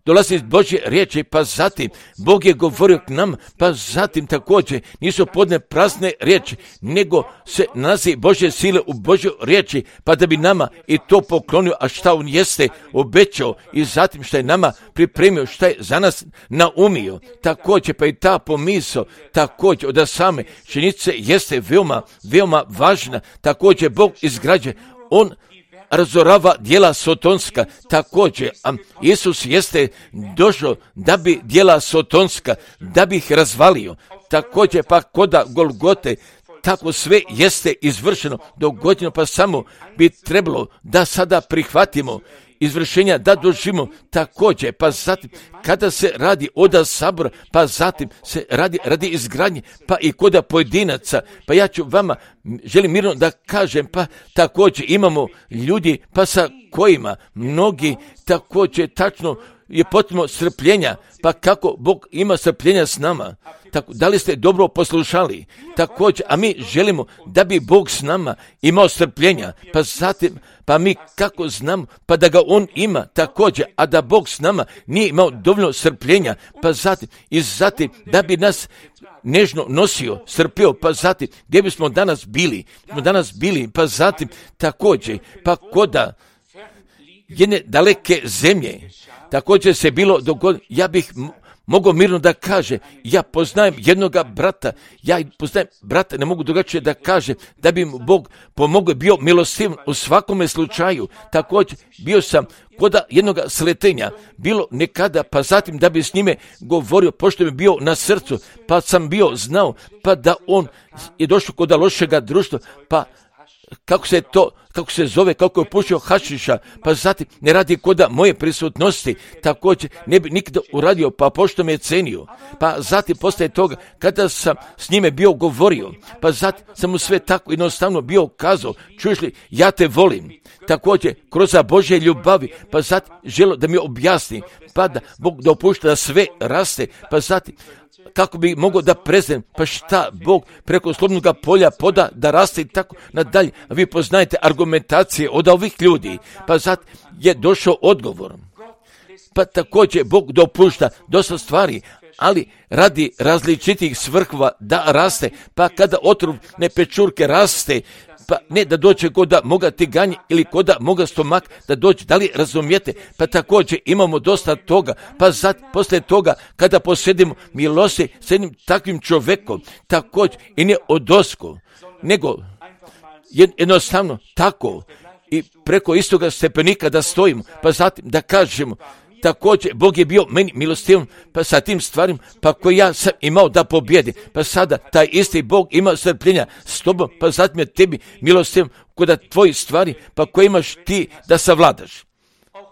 Speaker 1: dolazi iz Božje riječi, pa zatim Bog je govorio k nam, pa zatim također nisu podne prazne riječi, nego se nalazi Božje sile u Božjoj riječi, pa da bi nama i to poklonio, a šta on jeste obećao i zatim šta je nama pripremio, šta je za nas naumio. Također, pa i ta pomisao, također od same činjenice jeste veoma, veoma važna. Također Bog izgrađuje, on razorava djela sotonska, također, a Isus jeste došao da bi djela sotonska, da bi ih razvalio. Također, pa koda Golgote, tako sve jeste izvršeno, dogođeno, pa samo bi trebalo da sada prihvatimo izvršenja da doživimo također, pa zatim kada se radi oda sabora, pa zatim se radi izgradnje, pa i koda pojedinaca, pa ja ću vama, želim mirno da kažem, pa također imamo ljudi, pa sa kojima mnogi također tačno je potrebno strpljenja, pa kako Bog ima strpljenja s nama. Tako, da li ste dobro poslušali? Također, a mi želimo da bi Bog s nama imao strpljenja, pa zatim, pa mi kako znamo, pa da ga On ima također, a da Bog s nama nije imao dovoljno strpljenja, pa zatim, i zatim, da bi nas nežno nosio, strpio, pa zatim, gdje bismo danas bili? Pa zatim, također, pa koda jedne daleke zemlje, također se bilo dogodilo, ja bih mogao mirno da kaže, ja poznajem jednoga brata, ne mogu drugačije da kaže, da bi mu Bog pomogao, bio milostiv u svakome slučaju. Također bio sam kod jednoga sletenja, bilo nekada, pa zatim da bi s njime govorio, pošto mi bio na srcu, pa sam bio znao, pa da on je došao kod lošega društva, pa kako se zove, kako je pušio hašiša, pa zatim ne radi koda moje prisutnosti, također ne bi nikada uradio, pa pošto me je cenio, pa zatim poslije toga, kada sam s njime bio govorio, pa zatim sam mu sve tako jednostavno bio kazao, čuješ li, ja te volim, također kroz Božje ljubavi, pa zatim želo da mi objasni, pa da Bog dopušta da sve raste, pa zatim kako bi mogao da preznem, pa šta Bog preko slobodnog polja poda da raste i tako nadalje. A vi poznajete argumentacije od ovih ljudi, pa zato je došao odgovor. Pa također Bog dopušta dosta stvari, ali radi različitih svrhova da raste, pa kada otrovne pečurke raste, pa ne da dođe koda moga tiganje ili koda moga stomak da dođe, da li razumijete? Pa također imamo dosta toga, pa poslije toga kada posjedimo milosti s jednim takvim čovjekom, također i ne odosko, nego jednostavno tako i preko istoga stepenika da stojimo, pa zatim da kažemo, također Bog je bio meni milostivom, pa sa tim stvarima, pa koji ja sam imao da pobjedi, pa sada taj isti Bog ima strpljenja s tobom, pa zatim je tebi milostivom kod tvoji stvari, pa koje imaš ti da savladaš.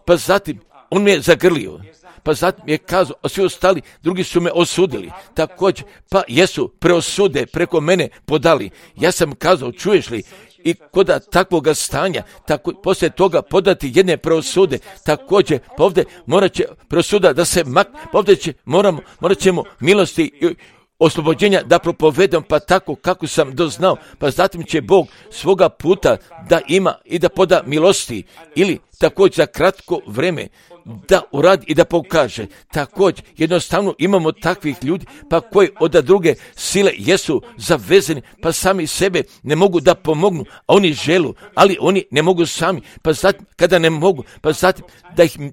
Speaker 1: Pa zatim on me je zagrlio, pa zatim je kazao, a svi ostali drugi su me osudili, također, pa jesu preosude preko mene podali. Ja sam kazao, čuješ li, i kod takvoga stanja, tako poslije toga podati jedne preosude, također, pa ovdje morat će preosuda da se morat ćemo milosti i oslobođenja da propovedam, pa tako kako sam doznao, pa zatim će Bog svoga puta da ima i da poda milosti, ili također za kratko vreme da uradi i da pokaže. Također, jednostavno imamo takvih ljudi, pa koji od druge sile jesu zavezani, pa sami sebe ne mogu da pomognu, a oni želu, ali oni ne mogu sami, pa zatim, kada ne mogu, pa zatim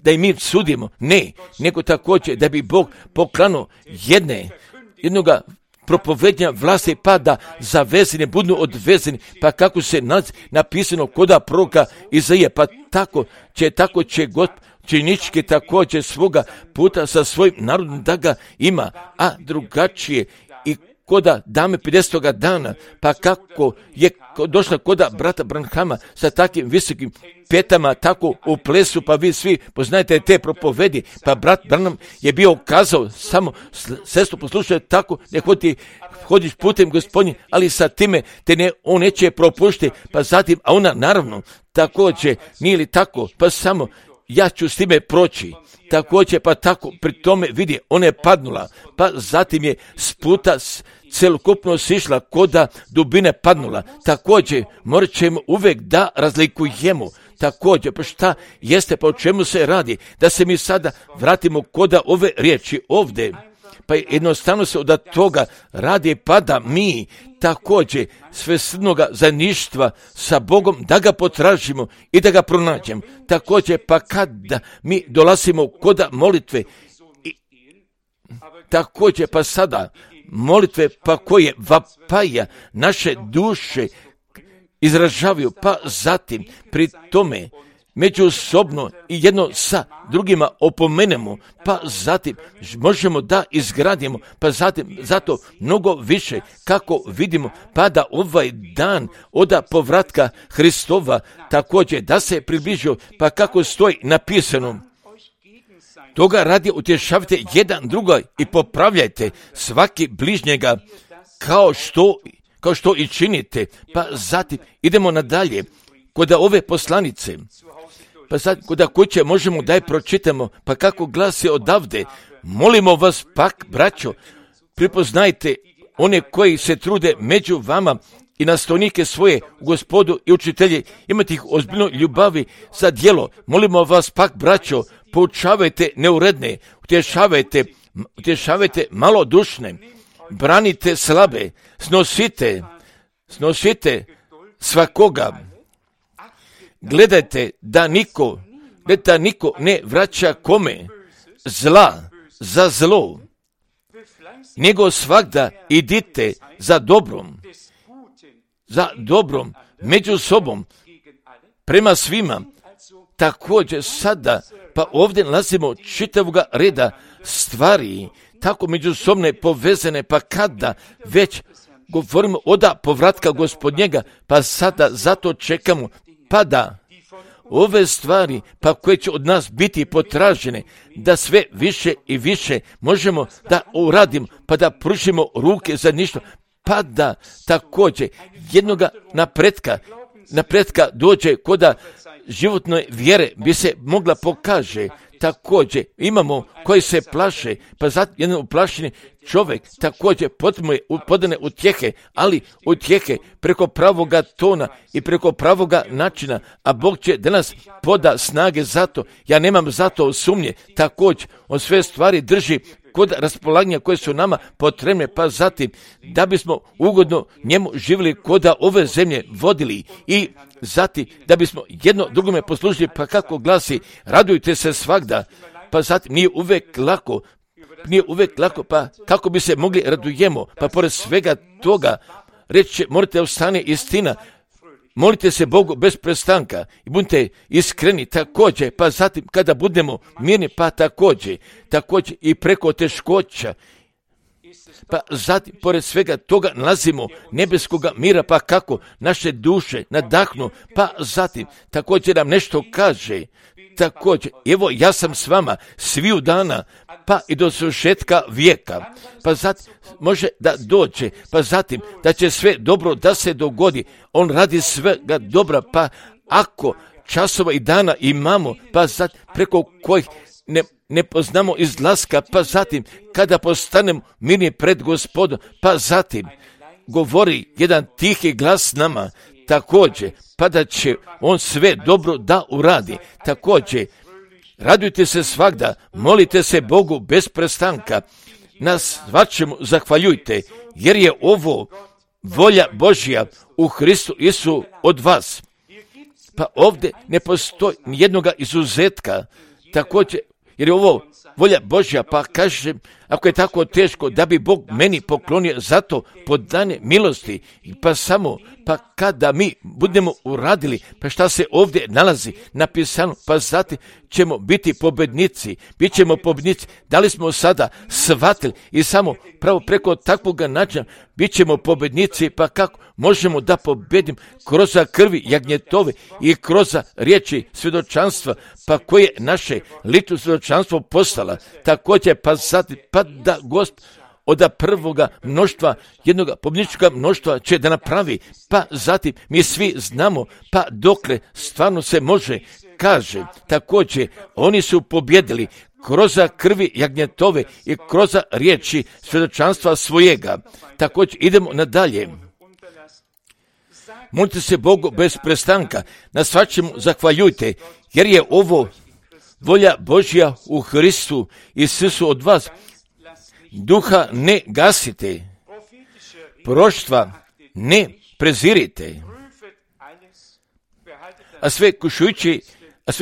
Speaker 1: da im mi sudimo, ne, nego također da bi Bog poklano jednoga propovednja vlasti, pa da zavezani budu odvezani, pa kako se napisano koda proroka Izaije, pa tako će Gospod činički također svoga puta sa svojim narodom da ga ima, a drugačije i koda dame 50. dana, pa kako je došla koda brata Branhama sa takvim visokim petama, tako u plesu, pa vi svi poznajete te propovedi, pa brat Branham je bio kazao, samo sestro poslušaj tako, ne hodiš putem Gospodnjim, ali sa time on neće propuštiti, pa zatim, a ona naravno također nije li tako, pa samo ja ću s time proći, također pa tako pri tome vidi, ona je padnula, pa zatim je s puta celokupno sišla koda dubine padnula, također morat ćemo uvijek da razlikujemo, također pa šta jeste, pa o čemu se radi, da se mi sada vratimo koda ove riječi ovdje, pa jednostavno se od toga radi, pa da mi također svesrdnoga zajedništva sa Bogom da ga potražimo i da ga pronađemo. Također pa kada mi dolazimo koda molitve, također pa sada molitve pa koje vapaja naše duše izražavaju, pa zatim pri tome međusobno i jedno sa drugima opomenemo, pa zatim možemo da izgradimo, pa zatim zato mnogo više kako vidimo, pa da ovaj dan od povratka Hristova također da se približio, pa kako stoji napisano, toga radi utješavajte jedan druga i popravljajte svaki bližnjega kao što i činite. Pa zatim idemo nadalje kod ove poslanice. Pa sad kod kuće možemo da je pročitamo, pa kako glasi odavde, molimo vas pak, braćo, prepoznajte one koji se trude među vama i nastavnike svoje u Gospodu i učitelje, imate ih ozbiljno ljubavi za djelo. Molimo vas pak, braćo, poučavajte neuredne, utješavajte malodušne, branite slabe, snosite svakoga. Gledajte da niko ne vraća kome zla za zlo, nego svagda idite za dobrom među sobom prema svima. Također sada, pa ovdje nalazimo čitavoga reda stvari, tako međusobne povezane, pa kada već govorimo od povratka Gospodnjega, pa sada zato čekamo, pa da ove stvari, pa koje će od nas biti potražene, da sve više i više možemo da uradimo, pa da pružimo ruke za ništa, pa da također jednoga napretka dođe koda životne vjere bi se mogla pokaže. Također imamo koji se plaše, pa zato jedan uplašeni čovjek također podane utjehe, ali utjehe preko pravoga tona i preko pravoga načina, a Bog će da nas poda snage za to. Ja nemam za to sumnje. Također on sve stvari drži kod raspolaganja koje su nama potrebne, pa zatim da bismo ugodno njemu živjeli koda ove zemlje vodili i zatim da bismo jedno drugome poslužili, pa kako glasi, radujte se svagda, pa zatim nije uvek lako, pa kako bi se mogli radujemo, pa pored svega toga reći morate ostane istina, molite se Bogu bez prestanka i budite iskreni također, pa zatim kada budemo mirni, pa također i preko teškoća, pa zatim pored svega toga nalazimo nebeskoga mira, pa kako naše duše nadahnu, pa zatim također nam nešto kaže, također, evo ja sam s vama sviju dana, pa i do svršetka vijeka, pa zatim može da dođe, pa zatim da će sve dobro da se dogodi, on radi svega dobra, pa ako časova i dana imamo, pa zatim preko kojih ne poznamo izlaska, pa zatim kada postanemo mirni pred Gospodom, pa zatim govori jedan tihi glas nama, također, pa da će on sve dobro da uradi. Također, radujte se svagda, molite se Bogu bez prestanka, na svačemu zahvaljujte, jer je ovo volja Božja u Hristu Isu od vas. Pa ovdje ne postoji nijednoga izuzetka, također, jer je ovo volja Božja, pa kažem, ako je tako teško da bi Bog meni poklonio zato podane milosti, pa kada mi budemo uradili, pa šta se ovdje nalazi napisano, pa zatim ćemo biti pobednici, bit ćemo pobednici, da li smo sada shvatili i samo pravo preko takvog načina bit ćemo pobednici, pa kako možemo da pobedim kroz krvi jagnjetove i kroz riječi svjedočanstva, pa koje naše lično svjedočanstvo postala, također pa zatim, pa da Gospod od prvoga mnoštva, jednoga pobjedničkoga mnoštva će da napravi, pa zatim mi svi znamo, pa dokle stvarno se može, kaže, također oni su pobjedili kroz krvi jagnjetove i kroz riječi svjedočanstva svojega. Također idemo nadalje. Molite se Bogu bez prestanka, na svačemu zahvaljujte, jer je ovo volja Božja u Hristu Isusu od vas. Duha ne gasite, proroštva ne prezirite, a sve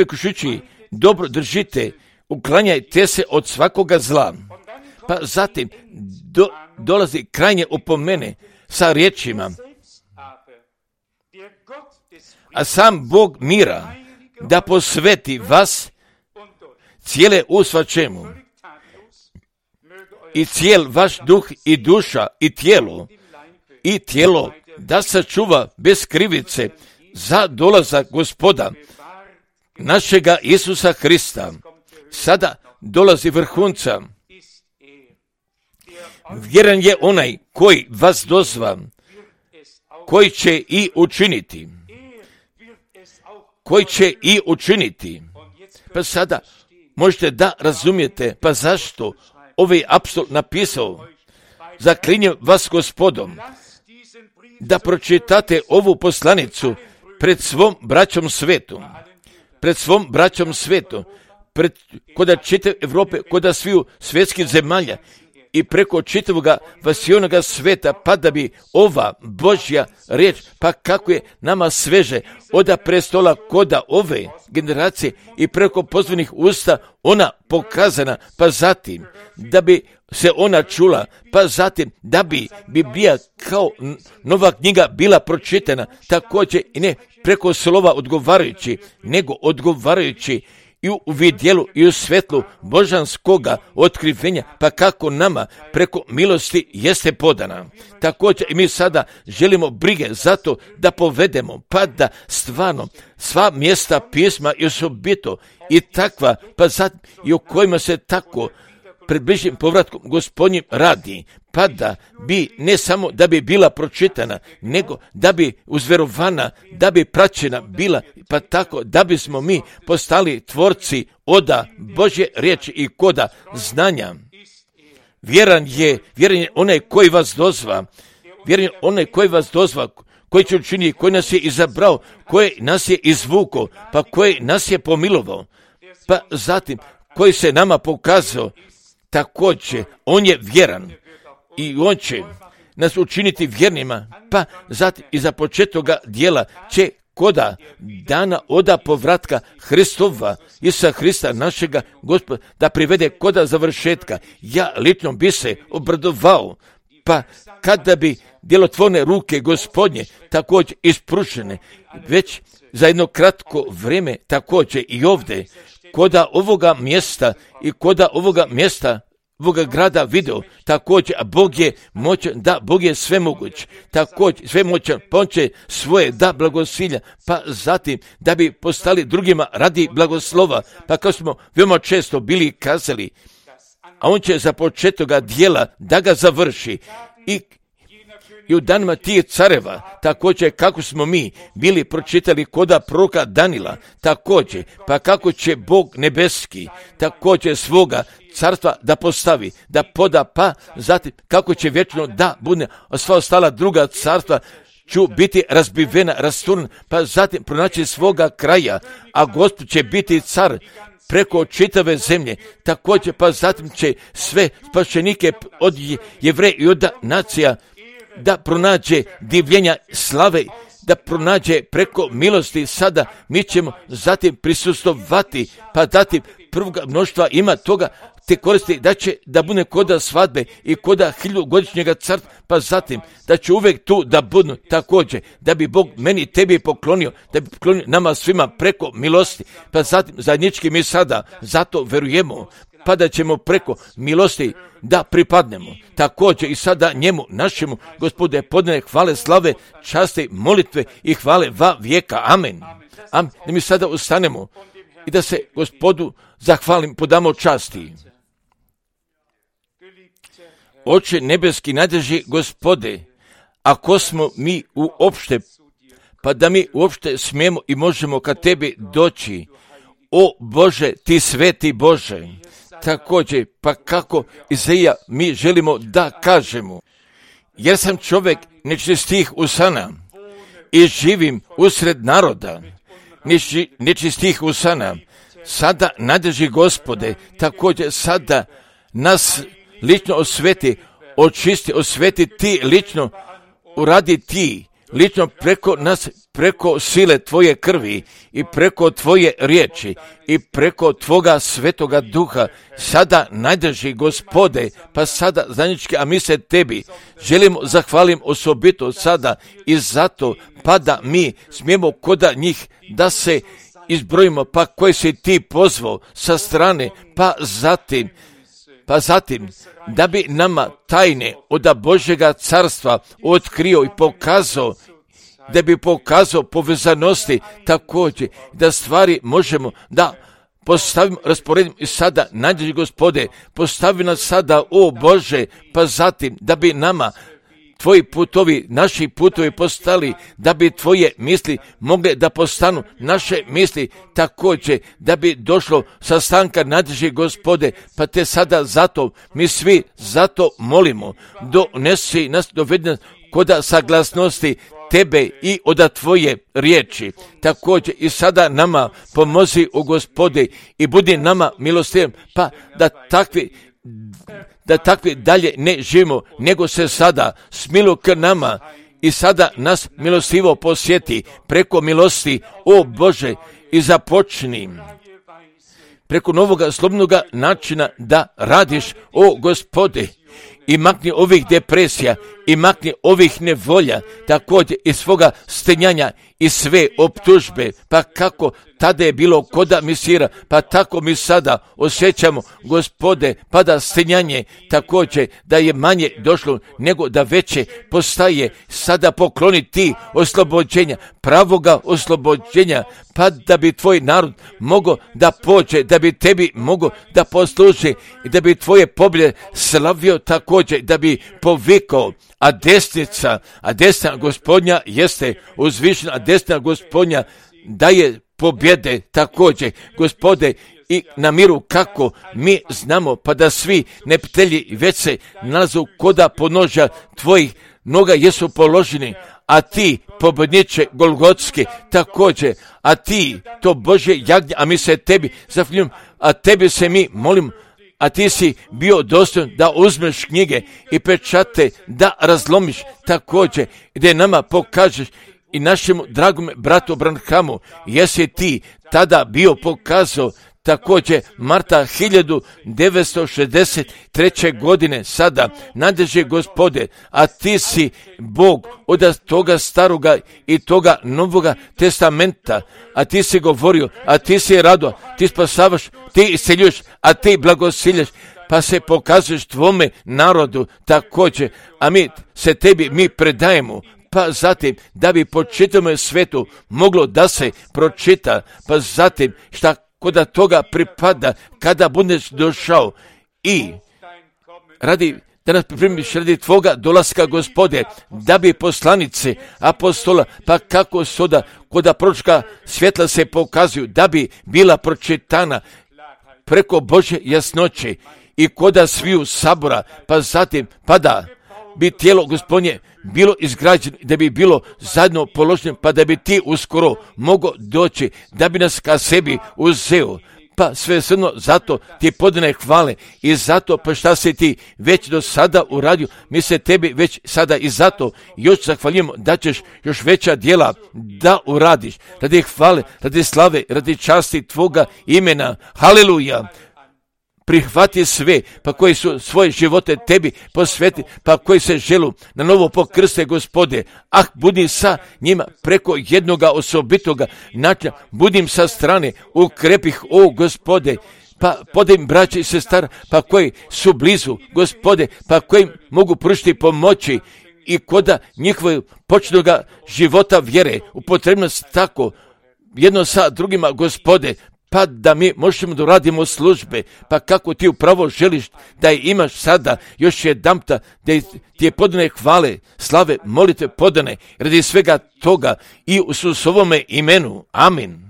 Speaker 1: kušujući dobro držite, uklanjajte se od svakoga zla. Pa zatim dolazi krajnje opomene sa riječima, a sam Bog mira da posveti vas cijele u svačemu i cijel vaš duh i duša i tijelo da sačuva bez krivice za dolazak Gospoda našega Isusa Hrista. Sada dolazi vrhunca. Vjeran je onaj koji vas dozva, koji će i učiniti. Pa sada možete da razumijete, pa zašto ovaj apostol napisao, zaklinjem vas Gospodom, da pročitate ovu poslanicu pred svom braćom svetu, koda čitave Evrope, koda sviju svjetskih zemalja i preko čitavoga vasionoga sveta, pa da bi ova Božja riječ, pa kako je nama sveže oda prestola koda ove generacije i preko pozvanih usta ona pokazana, pa zatim da bi se ona čula, pa zatim da bi Biblija kao nova knjiga bila pročitana, također i ne preko slova odgovarajući, nego odgovarajući i u vidjelu i u svetlu božanskoga otkrivenja, pa kako nama preko milosti jeste podana. Također i mi sada želimo brige zato da povedemo, pa da stvarno sva mjesta pisma i osobito i takva, pa zatim i o kojima se tako pred bližim povratkom Gospodnjim radi, pa da bi ne samo da bi bila pročitana, nego da bi uzverovana, da bi praćena bila, pa tako da bismo mi postali tvorci oda Božje riječi i koda znanja. Vjeran je onaj koji vas dozva, koji će učiniti, koji nas je izabrao, koji nas je izvukao, pa koji nas je pomilovao, pa zatim koji se nama pokazao. Također, on je vjeran i on će nas učiniti vjernima, pa zatim i za početoga dijela će koda dana oda povratka Hristova, Isusa Hrista našega Gospoda, da privede koda završetka. Ja lično bi se obradovao, pa kada bi djelotvorne ruke Gospodnje također ispružene, već za jedno kratko vrijeme također i ovdje, koda ovoga mjesta i koda ovoga grada video, također, a Bog je moćan, da, Bog je svemoguć, također, svemoćan, pa on će svoje da blagosilja, pa zatim da bi postali drugima radi blagoslova, pa kao smo veoma često bili kazali, a on će za početoga dijela da ga završi i u danima tih careva, također kako smo mi bili pročitali koda proroka Danila, također, pa kako će Bog nebeski također svoga carstva da postavi, da poda, pa zatim kako će vječno da bude sva ostala druga carstva ću biti razbivena, rasturna, pa zatim pronaći svoga kraja, a Gospod će biti car preko čitave zemlje, također pa zatim će sve spašenike od Jevreja i od nacija da pronađe divljenja slave, da pronađe preko milosti. Sada mi ćemo zatim prisustovati, pa zatim prvog mnoštva ima toga te koristi da će da bude koda svadbe i koda 1000-godišnjega carstva, pa zatim da će uvijek tu da budu također, da bi Bog meni i tebi poklonio, da bi poklonio nama svima preko milosti, pa zatim zajednički mi sada zato verujemo, pa da ćemo preko milosti da pripadnemo. Također i sada njemu, našemu Gospode, podane hvale, slave, časti, molitve i hvale va vijeka. Amen. Amen. Da mi sada ustanemo i da se Gospodu zahvalim, podamo časti. Oče nebeski, najdraži Gospode, ako smo mi uopšte, pa da mi uopšte smijemo i možemo ka tebi doći, o Bože, ti sveti Bože, također, pa kako Izaija mi želimo da kažemo, jer sam čovjek nečistih usana i živim usred naroda nečistih usana. Sada, najdraži Gospode, također sada nas lično osveti, očisti, osveti ti lično, uradi ti lično preko nas, preko sile tvoje krvi i preko tvoje riječi i preko tvoga svetoga duha. Sada, najdraži Gospode, pa sada zajednički, a mi se tebi želimo zahvalim osobito sada i zato, pa da mi smijemo koda njih da se izbrojimo, pa koje si ti pozvao sa strane, pa zatim, da bi nama tajne od Božjega carstva otkrio i pokazao, da bi pokazao povezanosti također, da stvari možemo da postavimo, rasporedimo i sada, najdraži Gospode, postavi nas sada, o Bože, pa zatim, da bi nama tvoji putovi, naši putovi postali, da bi tvoje misli mogle da postanu naše misli također, da bi došlo sastanka, najdraži Gospode, pa te sada zato, mi svi zato molimo, donesi nas, dovedi nas koda saglasnosti tebe i od tvoje riječi. Također i sada nama pomozi, o Gospode, i budi nama milostivan, pa da takvi dalje ne živimo, nego se sada smilu k nama i sada nas milostivo posjeti preko milosti, o Bože, i započni preko novoga slobodnoga načina da radiš, o Gospode, i makni ovih depresija, i makni ovih nevolja, također i svoga stenjanja i sve optužbe, pa kako tada je bilo koda misira, pa tako mi sada osjećamo, Gospode, pa da stenjanje također da je manje došlo, nego da veće postaje, sada pokloni ti oslobođenja, pravoga oslobođenja, pa da bi tvoj narod mogao da pođe, da bi tebi mogao da posluži i da bi tvoje pobjede slavio također, da bi povikao, a desna Gospodnja jeste uzvišena, a desna Gospodnja daje pobjede također, Gospode, i na miru kako mi znamo, pa da svi neptelji već se nalazu koda ponoža tvojih noga jesu položeni, a ti, pobjedniče Golgotski, također, a ti, to Božje jagnje, a mi se tebi zahvaljujemo, a tebi se mi molimo, a ti si bio dostojan da uzmeš knjige i pečate, da razlomiš također, gdje nama pokažeš i našemu dragome bratu Branhamu, jesi ti tada bio pokazao također Marta 1963. godine sada, najdraži Gospode, a ti si Bog od toga staroga i toga novoga testamenta, a ti si govorio, a ti si rado, ti spasavaš, ti isceljuješ, a ti blagosiljaš, pa se pokazuješ tvome narodu također, a mi se tebi mi predajemo, pa zatim da bi po čitavom svetu moglo da se pročita, pa zatim šta koda toga pripada kada budeš došao i da nas pripremiš radi tvoga dolaska, Gospode, da bi poslanice apostola, pa kako soda koda proročka svjetla se pokazuju, da bi bila pročitana preko Božje jasnoće i koda sviju sabora, pa zatim pa da bi tijelo Gospodnje bilo izgrađeno, da bi bilo zajedno položeno, pa da bi ti uskoro mogao doći, da bi nas ka sebi uzeo. Pa sve srno zato ti podane hvale i zato pa šta si ti već do sada uradio, mi se tebi već sada i zato još zahvaljujemo da ćeš još veća djela da uradiš, radi hvale, radi slave, radi časti tvoga imena. Haleluja! Prihvati sve, pa koji su svoje živote tebi posveti, pa koji se želu na novo pokrste, Gospode. Budi sa njima preko jednoga osobitoga načina, budim sa strane, ukrepih, o Gospode, pa podajem braće i sestara, pa koji su blizu, Gospode, pa koji mogu pružiti pomoći i koda njihovog počnoga života vjere, upotrebnost tako, jedno sa drugima, Gospode, pa da mi možemo da radimo službe, pa kako ti upravo želiš da je imaš sada, još jedanputa, da ti je podane hvale, slave, molitve podane, radi svega toga i u Isusovome imenu. Amin.